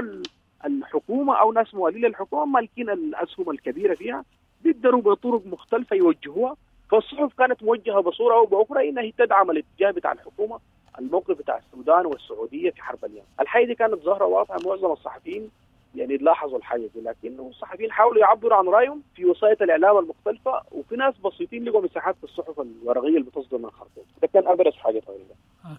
الحكومة او ناس موالين للحكومة مالكين الاسهم الكبيرة فيها بيقدروا بطرق مختلفة يوجهوها، فالصحف كانت موجهة بصورة او باخرى انها هي تدعم الاتجاه بتاع الحكومة، الموقف بتاع السودان والسعودية في حرب اليمن. الحاجة دي كانت ظاهره واضحة، معظم الصحفيين يعني لاحظوا الحاجة دي، لكن الصحفيين حاولوا يعبروا عن رايهم في وسائل الاعلام المختلفة، وفي ناس بسيطين لقوا مساحات في الصحف الورقية اللي بتصدر من الخرطوم. ده كان ابرز حاجة تقريبا.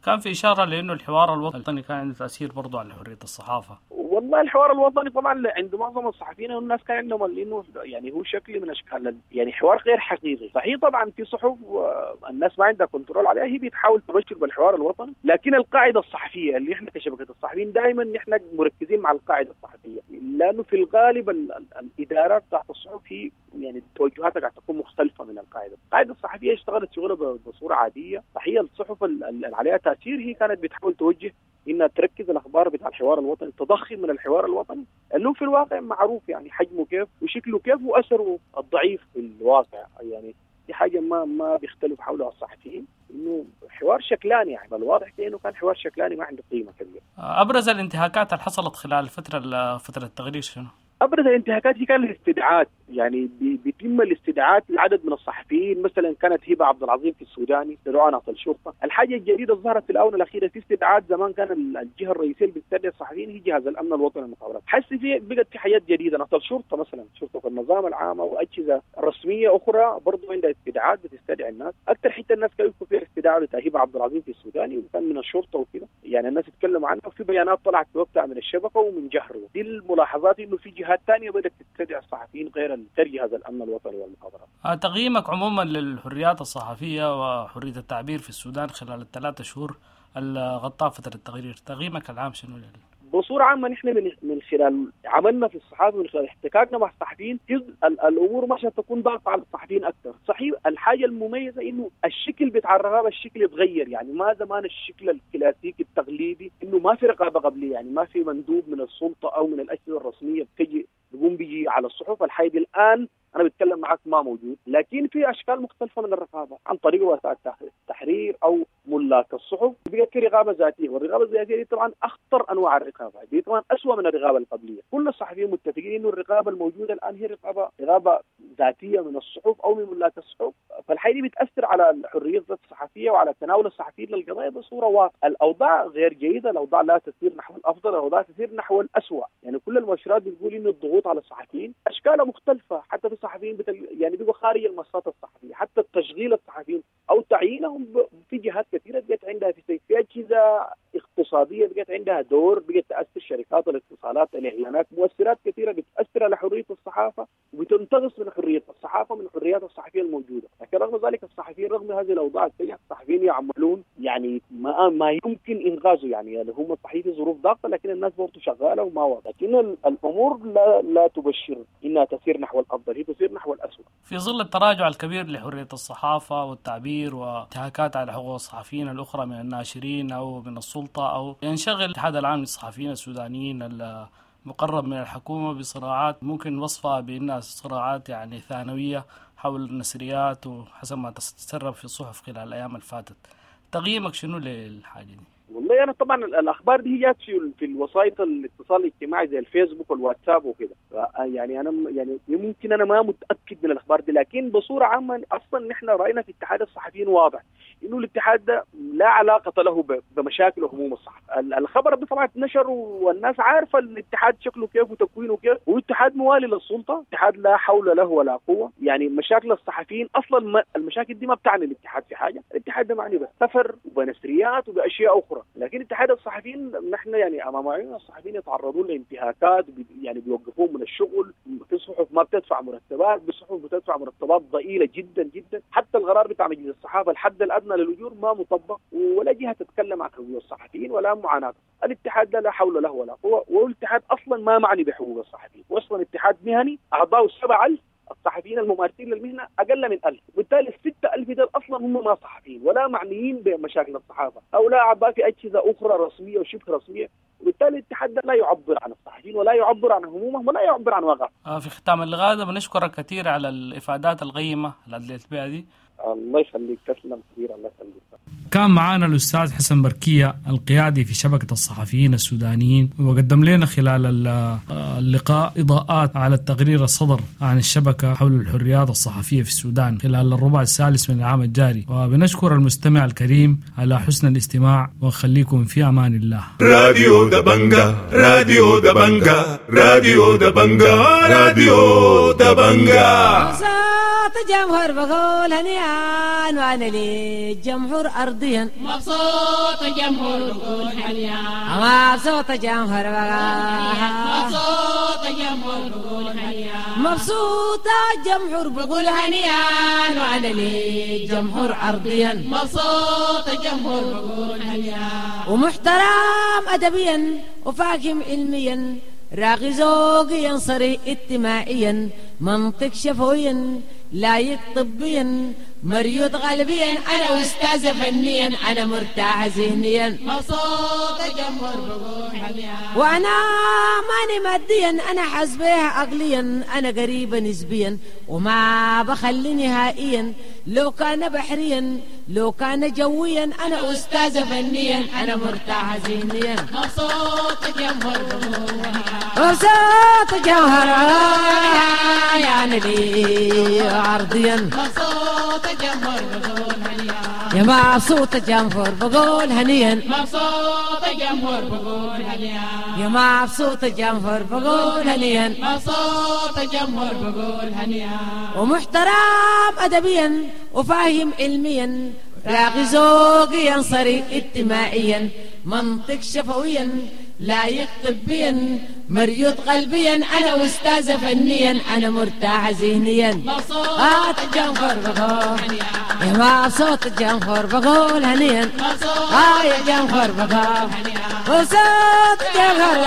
كان في اشارة لانه الحوار الوطني كان عنده تاثير برضه على حرية الصحافة. والله الحوار الوطني طبعا عند معظم الصحفيين والناس كان عندهم لانه يعني هو شكل من اشكال يعني حوار غير حقيقي. صحيح طبعا في صحف الناس ما عندها control عليها، هي بتحاول تبشر بالحوار الوطني، لكن القاعدة الصحفية اللي احنا كشبكه الصحفيين دائما نحن مركزين مع القاعدة الصحفية، لانه في الغالب الادارات تحت الصحف هي يعني توجهاتها قاعدة تكون مختلفة من القاعدة. القاعدة الصحفية اشتغلت شغلها بصورة عادية، صحيح الصحف اللي عليها تاثير هي كانت بتحاول توجه انها تركز الاخبار بتاع الحوار الوطني، تضخم من الحوار الوطني اللي هو في الواقع معروف يعني حجمه كيف وشكله كيف واثره الضعيف في الواقع. يعني دي حاجة ما بيختلف حولها الصحفيين، انه حوار شكلاني، يعني الواضح انه كان حوار شكلاني ما عنده قيمة كبيرة. ابرز الانتهاكات اللي حصلت خلال فترة التغرير شنو؟ ابرز الانتهاكات هي كان الاستدعاءات، يعني بيتم الاستدعاءات لعدد من الصحفيين، مثلا كانت هبه عبد العظيم في السوداني لرعاة الشرطة. الحاجة الجديدة ظهرت في الاونة الاخيرة في استدعاءات، زمان كان الجهة الرئيسية اللي بتستدعي الصحفيين هي جهاز الامن الوطني للمخابرات، حس في بقت في حاجات جديدة، نقل الشرطة مثلا، شرطه النظام العام او اجهزة رسمية اخرى برضه عندها استدعاءات بتستدعي الناس. اكثر حتة الناس كانوا يشوفوا فيها استدعاء بتاع هبه عبد العظيم في السوداني وكان من الشرطة وكذا، يعني الناس تتكلم عنها، وفي بيانات طلعت في وقتها من الشبكة ومن جهره. دي الملاحظات انه في جهات ثانية بدات تستدعي الصحفيين غير جهاز الامن الوطني والمخابرات. تقييمك عموما للحريات الصحفية وحريه التعبير في السودان خلال الثلاث شهور اللي غطاها فترة التغيير، تقييمك العام شنو؟ بصورة عامة نحن من خلال عملنا في الصحافة، من خلال احتكاكنا مع الصحفيين، الامور مش تكون ضغط على الصحفيين اكثر. صحيح الحاجة المميزة انه الشكل بتاع الرقابة الشكل يتغير، يعني ما زمان الشكل الكلاسيكي التقليدي انه ما في رقابه قبليه، يعني ما في مندوب من السلطة او من الاجهزة الرسمية بتجي بيقوم بيجي على الصحف. الحاجة دي الان انا بتكلم معك ما موجود، لكن في اشكال مختلفة من الرقابة عن طريق وسائل التحرير او ملاك الصحف، بقت في رقابه ذاتية، والرقابه الذاتية دي طبعا اخطر انواع الرقابة، دي طبعا اسوء من الرقابة القبلية. كل الصحفيين متفقين انه الرقابة الموجودة الان هي رقابه ذاتية من الصحف او من ملاك الصحف، فالحاجه دي بتاثر على الحرية الصحفية وعلى تناول الصحفيين للقضايا بصورة واضحة. الاوضاع غير جيدة، الاوضاع لا تسير نحو الافضل، الاوضاع تسير نحو الاسوء. يعني كل المؤشرات بتقول انه الضغوط على الصحفيين اشكالها مختلفة، حتى في الصحفيين يعني بيبقوا خارج المنصات الصحفية، حتى التشغيل الصحفيين او تعيينهم في جهات كثيرة بقت عندها في اجهزة اقتصادية بقت عندها دور، بقت تاثر شركات الاتصالات، الاعلانات، مؤثرات كثيرة بتاثر على حرية الصحافة وبتنتقص من حرية الصحافة من الحريات الصحفية الموجودة. لكن رغم ذلك الصحفيين رغم هذه الاوضاع السيئة الصحفيين يعملون يعني ما يمكن انغازه، يعني هم صحيح في ظروف ضاغطة لكن الناس برضه شغالة وما واضح، لكن الامور لا تبشر انها تسير نحو الافضل، هي تسير نحو الاسوء. في ظل التراجع الكبير لحرية الصحافة والتعبير وانتهاكات على حقوق الصحفيين الاخرى من الناشرين او من السلطة، او ينشغل الاتحاد العام للصحفيين السودانيين مقرب من الحكومة بصراعات ممكن وصفها بأنها صراعات يعني ثانوية حول النسريات وحسب ما تسرب في الصحف خلال الأيام اللي فاتت. تقييمك شنو للحاجة دي؟ والله أنا طبعا الأخبار دي جات في الوسائط الاتصال الاجتماعي زي الفيسبوك والواتساب وكده، يعني أنا يعني ممكن أنا ما متأكد من الأخبار دي، لكن بصورة عامة أصلا نحن رأينا في اتحاد الصحفيين واضح إنه الاتحاد ده لا علاقة له بمشاكل وهموم الصحف. الخبر ده طبعا اتنشر والناس عارفة الاتحاد شكله كيف وتكوينه كيف، هو اتحاد موالي للسلطة، اتحاد لا حول له ولا قوة. يعني مشاكل الصحفيين أصلا المشاكل دي ما بتعني الاتحاد في حاجة، الاتحاد ده معني بالسفر وبنسريات وبأشياء أخرى، لكن اتحاد الصحفيين نحن يعني امام عيوننا الصحفيين يتعرضون لانتهاكات، يعني بيوقفوهم من الشغل، في صحف ما بتدفع مرتبات، في صحف بتدفع مرتبات ضئيلة جدا جدا، حتى القرار بتاع مجلس الصحافة الحد الادنى للاجور ما مطبق، ولا جهة تتكلم عن حقوق الصحفيين ولا معاناة. الاتحاد لا حول له ولا قوة، والاتحاد اصلا ما معني بحقوق الصحفيين، واصلا اتحاد مهني اعضاؤه 7000 الصحفيين الممارسين للمهنه اقل من 1000، وبالتالي 6000 دول اصلا هم ما صحفيين ولا معنيين بمشاكل الصحافة او لا اعضاء في اجهزة اخرى رسمية وشبه رسمية، وبالتالي الاتحاد لا يعبر عن الصحفيين ولا يعبر عن همومهم ولا يعبر عن واقعهم. في ختام اللقاء ده بنشكرك كثير على الافادات القيمة اللي ادليت بها دي. الله يخليك، تسلم كثير، الله يخليك. كان معنا الأستاذ حسن بركية القيادي في شبكة الصحفيين السودانيين، وقدم لنا خلال اللقاء إضاءات على التقرير الصدر عن الشبكة حول الحريات الصحفية في السودان خلال الربع الثالث من العام الجاري. وبنشكر المستمع الكريم على حسن الاستماع، وخليكم في أمان الله. راديو دبنجا، راديو دبنجا، راديو دبنجا، راديو دبنجا. صوت جمهور بقول هنيان، وأنا للجمهور أرضيا. مبسوط الجمهور بقول هنيان، مبسوط الجمهور بقول، مبسوط الجمهور بقول هنيان، مبسوط الجمهور بقول هنيان، وأنا للجمهور أرضيا. مبسوط الجمهور بقول هنيان، ومحترم أدبيا وفاهم علميا، راغي ذوقيا صريح اجتماعيا، منطق شفويا لايق طبيا، مريض غالبيا، انا استاذ فنيا، انا مرتاح ذهنيا. مبسوط الجمهور بقول هنيا، وانا ماني ماديا، انا حاسبها عقليا، انا قريبه نسبيا، وما بخلي نهائيا، لو كان بحريا لو كان جويا، انا استاذ فنيا، انا مرتاح ذهنيا. مبسوط الجمهور بقول هنيا، مبسوط الجمهور يعني لي عرضيا. مبسوط الجمهور بقول هنيا، يا مبسوط الجمهور بقول هنيا، مبسوط الجمهور بقول هنيا، يا مبسوط الجمهور بقول هنيا، مبسوط الجمهور بقول هنيا، ومحترم أدبيا وفاهم علميا، راغي ذوقيا صريح اجتماعيا، منطق شفويا لايق طبيا، مريض قلبيا، انا استاذ فنيا، انا مرتاح ذهنيا. مبسوط الجمهور بقول يا مبسوط الجمهور بقول هنيا، يا جمهور بقول مبسوط الجمهور.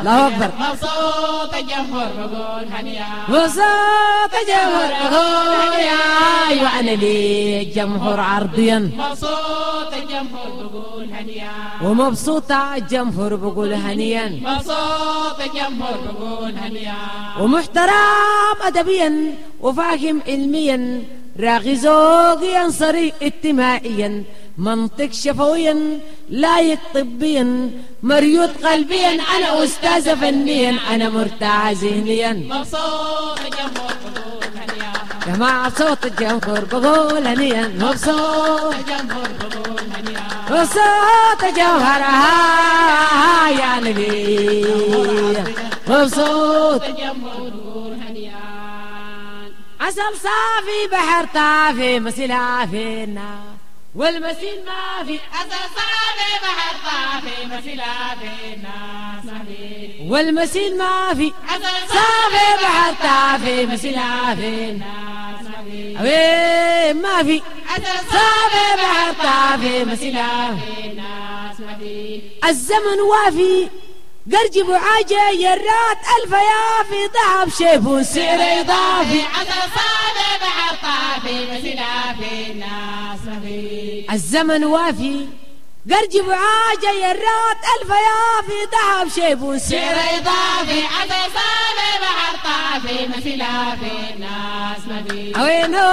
الله اكبر. مبسوط الجمهور بقول هنيا، مبسوط الجمهور بقول هنيا، وانا للجمهور عرضيا. مبسوط الجمهور بقول هنيا، ومبسوط الجمهور بقول هنيا، مبسوط الجمهور بقول هنيا، ومحترم أدبيا وفاهم علميا، راغي ذوقيا صريح اجتماعيا، منطق شفويا لايق طبيا، مريض قلبيا، انا استاذ فنيا، انا مرتاح ذهنيا. مبسوط الجمهور بقول هنيا، يا مبسوط الجمهور بقول هنيا، مبسوط الجمهور بقول هنيا، مبسوط الجوهر يا نبي، مبسوط الجمهور بقول هنيا. عسل صافي بحر طافي مسيل عافينا والمسيل ما في، عسل صافي بحر طافي مسيل عافينا والمسيل ما في، عسل صافي بحر طافي مسيل عافينا وين ما في، عسل صافي بحر طافي مسيل عافينا. الزمن وافي قرجب وعاجة يرات ألف يافي، ذهب شيف وسعر إضافي، عسل صافي بحر طافي مسيل عافينا. الزمن وافي قرجب عاجة يرات ألف يا في ذهب شيب سعر إضافي عسل صافي بحر طافي مسيلة في الناس ما في وينه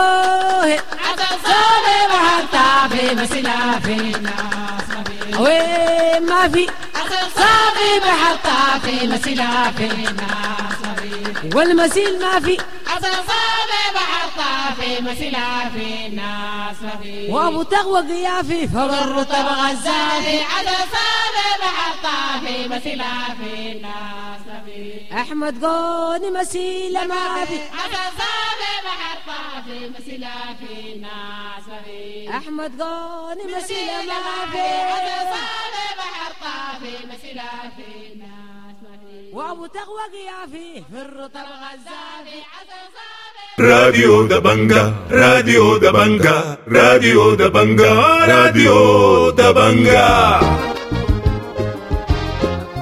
عسل صافي بحر طافي مسيلة في الناس ما في وين ما في عسل صافي بحر طافي مسيلة في الناس ما في والمسيل ما في عسل صافي بحر طافي مسيلة في الناس ما في وابو تقوى قيافي فوق الرطب غزافي عسل صافي بحر طافي مسيلة في الناس ما في احمد قوني مسيلة ما في عسل صافي بحر طافي مسيلة في الناس ما في احمد قوني مسيلة ما في عسل صافي بحر طافي مسيلة في الناس ما في وابو تقوى قيافي في الرطب غزافي عسل صافي راديو دبنجا، راديو دبنجا، راديو دبنجا، راديو دبنجا.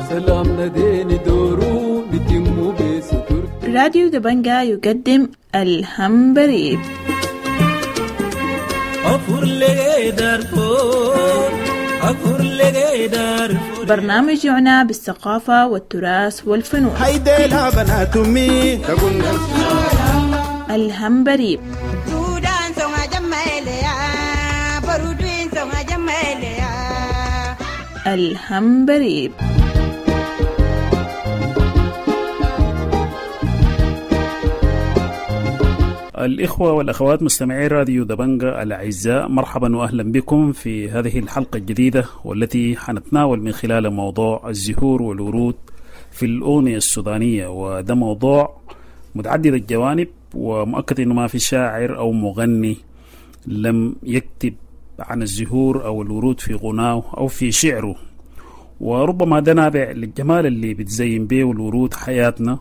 سلامنا ديني دورو نتمو بستر. راديو دبنجا يقدم الهمبريب. برنامج يعنى بالثقافة والتراث والفنون. الهمبريب. الهمبريب. الإخوة والأخوات مستمعي راديو دبنجا الأعزاء، مرحبا وأهلا بكم في هذه الحلقة الجديدة والتي حنتناول من خلال موضوع الزهور والورود في الأغنية السودانية. وده موضوع متعدد الجوانب، ومؤكد أنه ما في شاعر أو مغني لم يكتب عن الزهور أو الورود في غناه أو في شعره، وربما ده نابع للجمال اللي بتزين به الورود حياتنا.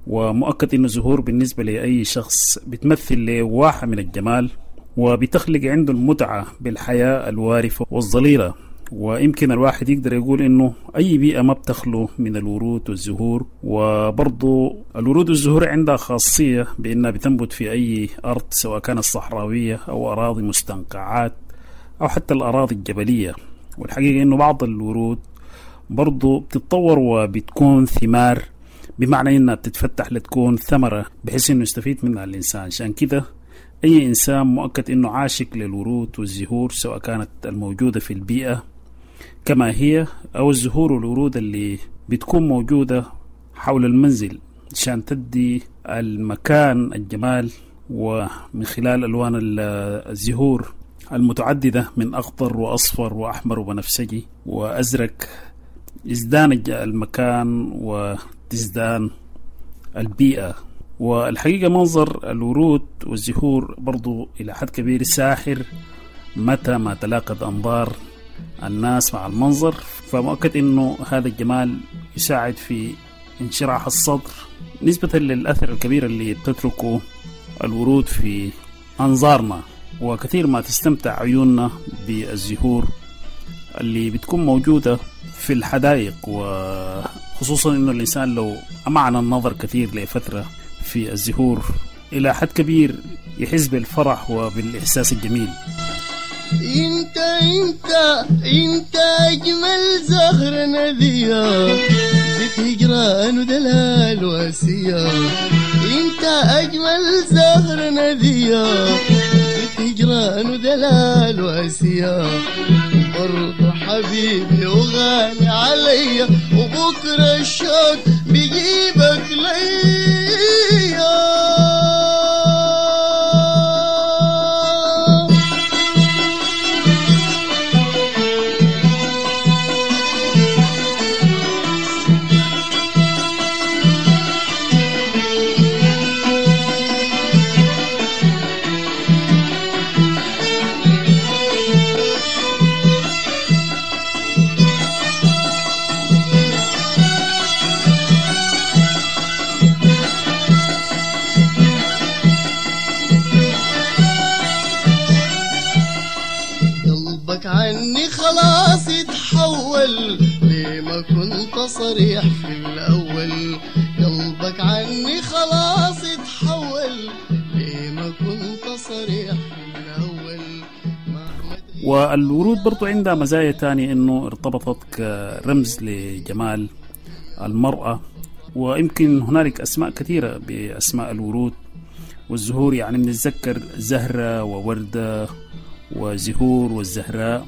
ومؤكد أن الزهور بالنسبة لأي شخص بتمثل له واحة من الجمال، وبتخلق عنده المتعة بالحياة الوارفة والظليلة. ويمكن الواحد يقدر يقول إنه أي بيئة ما بتخلو من الورود والزهور. وبرضو الورود والزهور عندها خاصية بأنها بتنبت في أي أرض، سواء كانت صحراوية أو أراضي مستنقعات أو حتى الأراضي الجبلية. والحقيقة إنه بعض الورود برضو بتتطور وبتكون ثمار، بمعنى إنها بتتفتح لتكون ثمرة بحيث إنه يستفيد منها الإنسان. عشان كده أي إنسان مؤكد إنه عاشق للورود والزهور، سواء كانت الموجودة في البيئة كما هي أو الزهور والورود اللي بتكون موجودة حول المنزل عشان تدي المكان الجمال. ومن خلال ألوان الزهور المتعددة من أخضر وأصفر وأحمر وبنفسجي وأزرق يزدان المكان وتزدان البيئة. والحقيقة منظر الورود والزهور برضو إلى حد كبير ساحر متى ما تلاقت أنظار الناس مع المنظر، فمؤكد أنه هذا الجمال يساعد في انشراح الصدر نسبة للأثر الكبير اللي بتتركه الورود في أنظارنا. وكثير ما تستمتع عيوننا بالزهور اللي بتكون موجودة في الحدائق، وخصوصا أنه الإنسان لو أمعن النظر كثير لفترة في الزهور إلى حد كبير يحس بالفرح وبالإحساس الجميل. انت انت انت اجمل زهر نذية، زيت هجران ودلال واسية. انت اجمل زهر نذية، زيت هجران ودلال واسية. برضو حبيبي وغالي عليا، وبكرة الشوق بيجيبك ليا. عني خلاص يتحول، ليه ما كنت صريح في الأول؟ قلبك عني خلاص يتحول، ليه ما كنت صريح في الأول؟ والورود برضو عندها مزايا تانية، إنه ارتبطت كرمز لجمال المرأة، ويمكن هنالك أسماء كثيرة بأسماء الورود والزهور، يعني بنتذكر زهرة ووردة وزهور والزهراء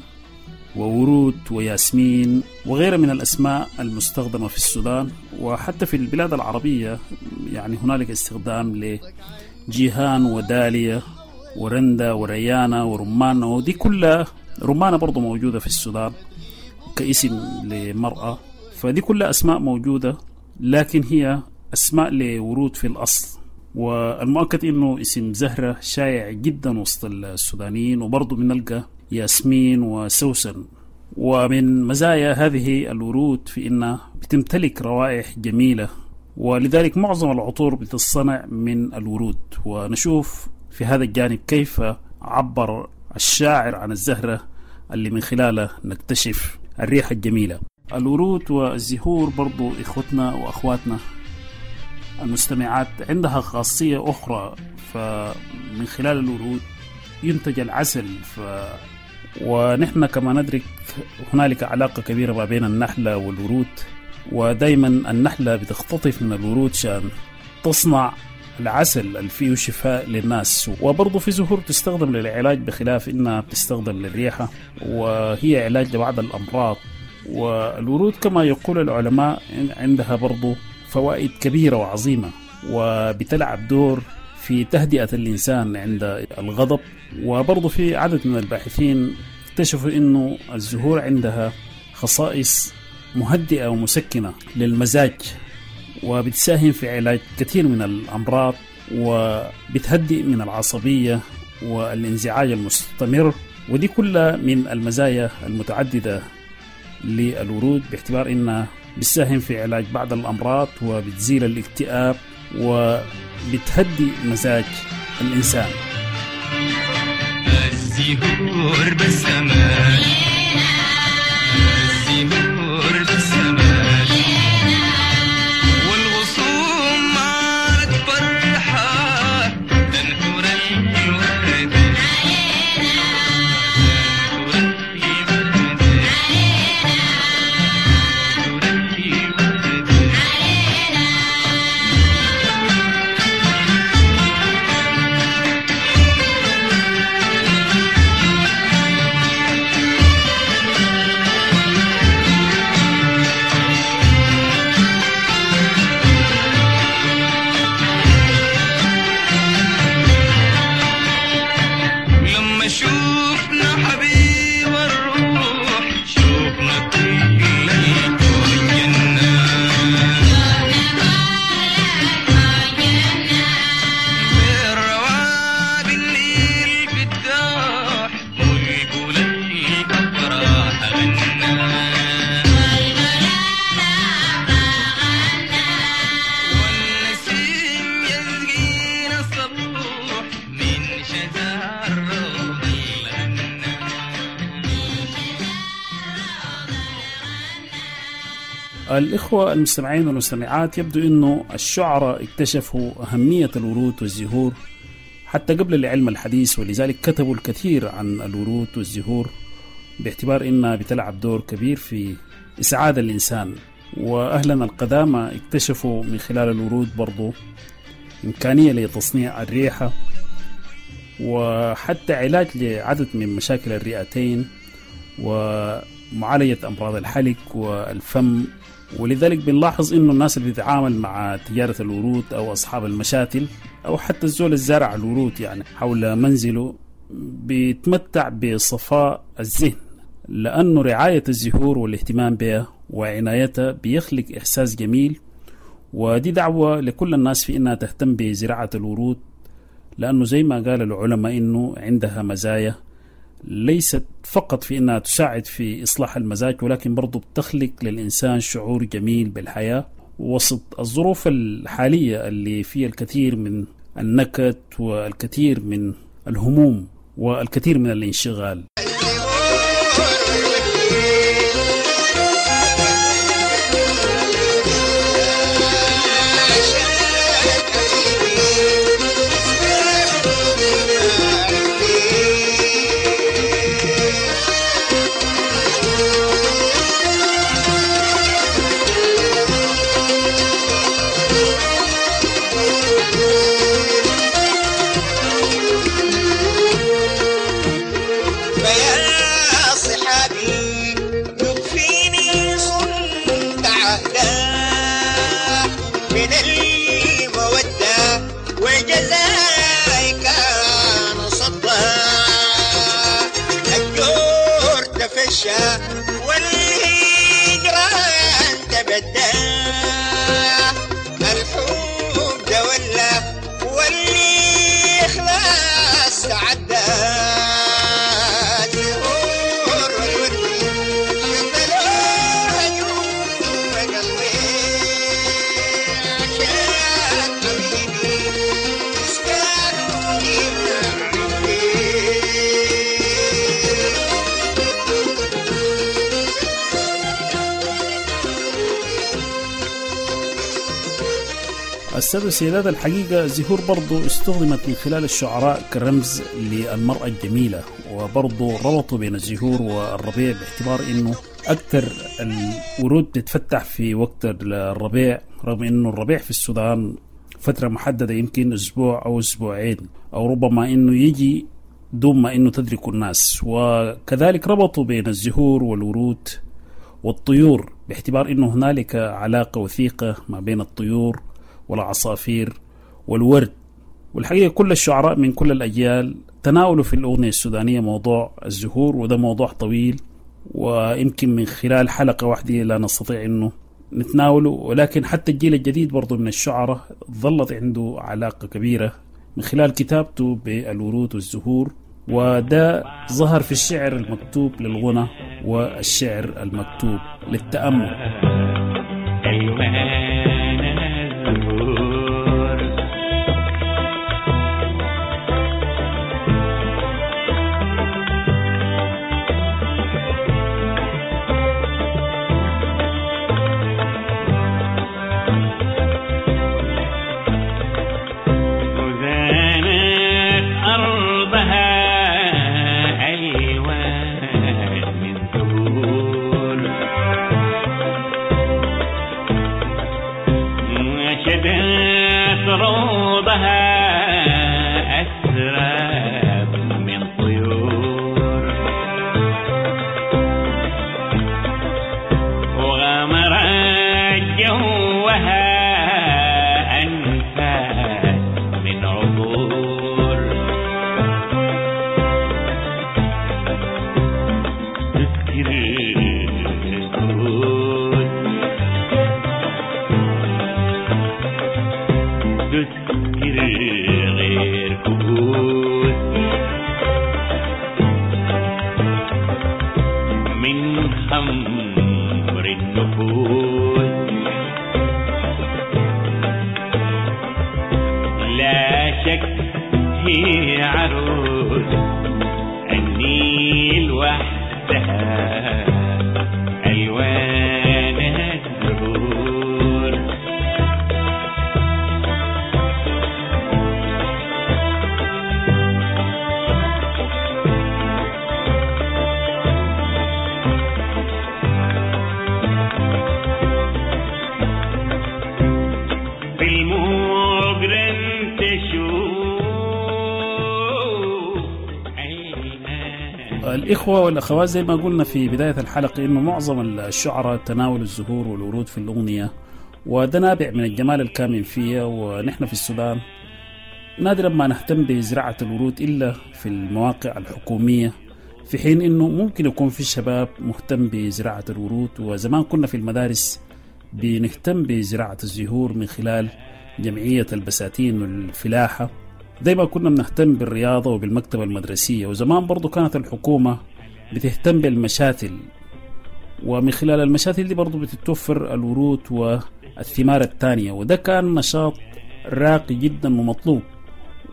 وورود وياسمين وغيرها من الأسماء المستخدمة في السودان وحتى في البلاد العربية. يعني هنالك استخدام لجيهان وداليا ورندا وريانة ورمانة، ودي كلها رمانة برضو موجودة في السودان كاسم لمرأة، فدي كلها أسماء موجودة لكن هي أسماء لورود في الأصل. والمؤكد إنه اسم زهرة شائع جدا وسط السودانيين، وبرضو بنلقى ياسمين وسوسن. ومن مزايا هذه الورود في إنها بتمتلك روائح جميلة، ولذلك معظم العطور بتصنع من الورود. ونشوف في هذا الجانب كيف عبر الشاعر عن الزهرة اللي من خلاله نكتشف الريحة الجميلة. الورود والزهور برضو إخوتنا وأخواتنا المستمعات عندها خاصية أخرى، فمن خلال الورود ينتج العسل. ونحن كما ندرك هنالك علاقة كبيرة ما بين النحلة والورود، ودايما النحلة بتختطف من الورود شان تصنع العسل اللي فيه شفاء للناس. وبرضه في زهور تستخدم للعلاج بخلاف إنها بتستخدم للريحة، وهي علاج لبعض الأمراض. والورود كما يقول العلماء عندها برضه فوائد كبيرة وعظيمة، وبتلعب دور في تهدئة الإنسان عند الغضب. وبرضه في عدد من الباحثين اكتشفوا إنه الزهور عندها خصائص مهدئة ومسكنة للمزاج، وبتساهم في علاج كثير من الأمراض، وبتهدئ من العصبية والانزعاج المستمر. ودي كلها من المزايا المتعددة للورود، باعتبار إنها بتساهم في علاج بعض الأمراض وبتزيل الاكتئاب وبتهدي مزاج الإنسان. الزهور بالسماء، الزهور بالسماء، والغصون مالت فرحة تنثر الورد، الإخوة المستمعين والمستمعات، يبدو أنه الشعراء اكتشفوا أهمية الورود والزهور حتى قبل العلم الحديث، ولذلك كتبوا الكثير عن الورود والزهور باعتبار أنها بتلعب دور كبير في إسعاد الإنسان. وأهلنا القدامى اكتشفوا من خلال الورود برضو إمكانية لتصنيع الريحة وحتى علاج لعدد من مشاكل الرئتين ومعالجة أمراض الحلق والفم. ولذلك بنلاحظ إنه الناس اللي بتتعامل مع تجارة الورود أو أصحاب المشاتل أو حتى الزول الزارع الورود يعني حول منزله بيتمتع بصفاء الذهن، لأنه رعاية الزهور والاهتمام بها وعنايتها بيخلق إحساس جميل. ودي دعوة لكل الناس في إنها تهتم بزراعة الورود، لأنه زي ما قال العلماء إنه عندها مزايا ليست فقط في إنها تساعد في إصلاح المزاج، ولكن برضو بتخلق للإنسان شعور جميل بالحياة وسط الظروف الحالية اللي فيها الكثير من النكد والكثير من الهموم والكثير من الانشغال. السادة والسيدات، الحقيقة الزهور برضو استخدمت من خلال الشعراء كرمز للمرأة الجميلة، وبرضو ربطوا بين الزهور والربيع باعتبار انه اكثر الورود بتتفتح في وقت الربيع، رغم انه الربيع في السودان فترة محددة يمكن اسبوع او اسبوعين، او ربما انه يجي دون ما انه تدرك الناس. وكذلك ربطوا بين الزهور والورود والطيور باعتبار انه هنالك علاقة وثيقة ما بين الطيور والعصافير والورد. والحقيقة كل الشعراء من كل الأجيال تناولوا في الأغنية السودانية موضوع الزهور، وده موضوع طويل ويمكن من خلال حلقة واحدة لا نستطيع أنه نتناوله، ولكن حتى الجيل الجديد برضو من الشعراء ظلت عنده علاقة كبيرة من خلال كتابته بالورود والزهور، وده ظهر في الشعر المكتوب للغنى والشعر المكتوب للتأمل. وزانت أرضها ألوان من زهور، وشدت روضها أسراب من طيور، وغمرت جوها أنفاس من عبور. تسكر الكود، تسكر غير كؤوس، من خمر النفوس. لا شك هي عروس النيل وحدها ألوانها الزهور. في المجرم تشوف. الإخوة والأخوات، زي ما قلنا في بداية الحلقة إنه معظم الشعراء تناولوا الزهور والورود في الأغنية، وده نابع من الجمال الكامن فيها. ونحن في السودان نادرا ما نهتم بزراعة الورود إلا في المواقع الحكومية، في حين إنه ممكن يكون في الشباب مهتم بزراعة الورود. وزمان كنا في المدارس بنهتم بزراعة الزهور من خلال جمعية البساتين والفلاحة، زي ما كنا بنهتم بالرياضة وبالمكتبة المدرسية. وزمان برضو كانت الحكومة بتهتم بالمشاتل، ومن خلال المشاتل دي برضو بتتوفر الورود والثمار الثانية، وده كان نشاط راقي جدا ومطلوب.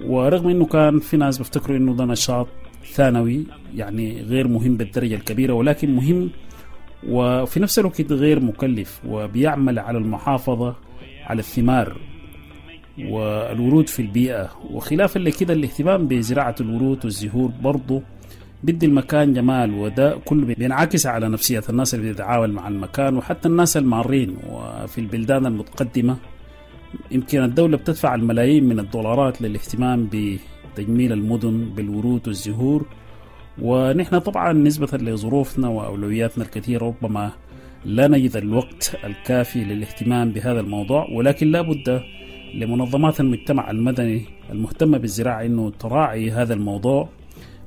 ورغم انه كان في ناس بيفتكروا انه ده نشاط ثانوي يعني غير مهم بالدرجة الكبيرة، ولكن مهم وفي نفس الوقت غير مكلف، وبيعمل على المحافظة على الثمار والورود في البيئة. وخلافا لكده الاهتمام بزراعة الورود والزهور برضو بدي المكان جمال، وده كله بينعكس على نفسية الناس اللي بتتعامل مع المكان وحتى الناس المارين. وفي البلدان المتقدمة يمكن الدولة بتدفع الملايين من الدولارات للاهتمام بتجميل المدن بالورود والزهور، ونحن طبعا نسبة لظروفنا وأولوياتنا الكثيرة ربما لا نجد الوقت الكافي للاهتمام بهذا الموضوع، ولكن لا بد لمنظمات المجتمع المدني المهتمة بالزراعة أنه تراعي هذا الموضوع،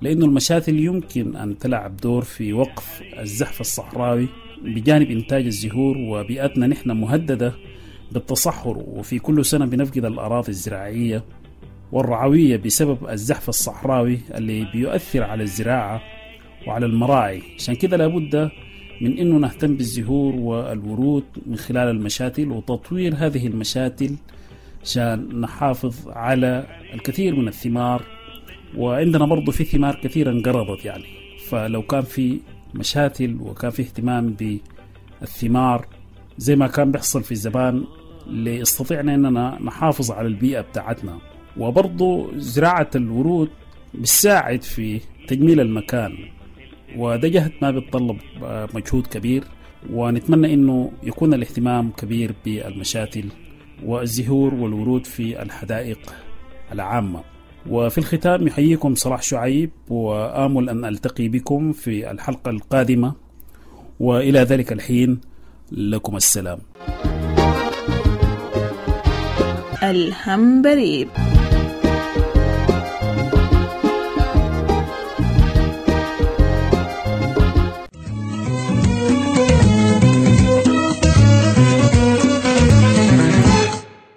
لأنه المشاتل يمكن أن تلعب دور في وقف الزحف الصحراوي بجانب إنتاج الزهور. وبيئتنا نحن مهددة بالتصحر، وفي كل سنة بنفقد الأراضي الزراعية والرعوية بسبب الزحف الصحراوي اللي بيؤثر على الزراعة وعلى المراعي. عشان كده لابد من أنه نهتم بالزهور والورود من خلال المشاتل وتطوير هذه المشاتل عشان نحافظ على الكثير من الثمار. وعندنا برضو في ثمار كثيرة انقرضت يعني، فلو كان في مشاتل وكان في اهتمام بالثمار زي ما كان بيحصل في الزمان لاستطيعنا أننا نحافظ على البيئة بتاعتنا. وبرضو زراعة الورود بتساعد في تجميل المكان، وده جهد ما بيتطلب مجهود كبير، ونتمنى أنه يكون الاهتمام كبير بالمشاتل والزهور والورود في الحدائق العامة. وفي الختام يحييكم صلاح شعيب، وآمل أن ألتقي بكم في الحلقة القادمة، وإلى ذلك الحين لكم السلام. الهمبريب.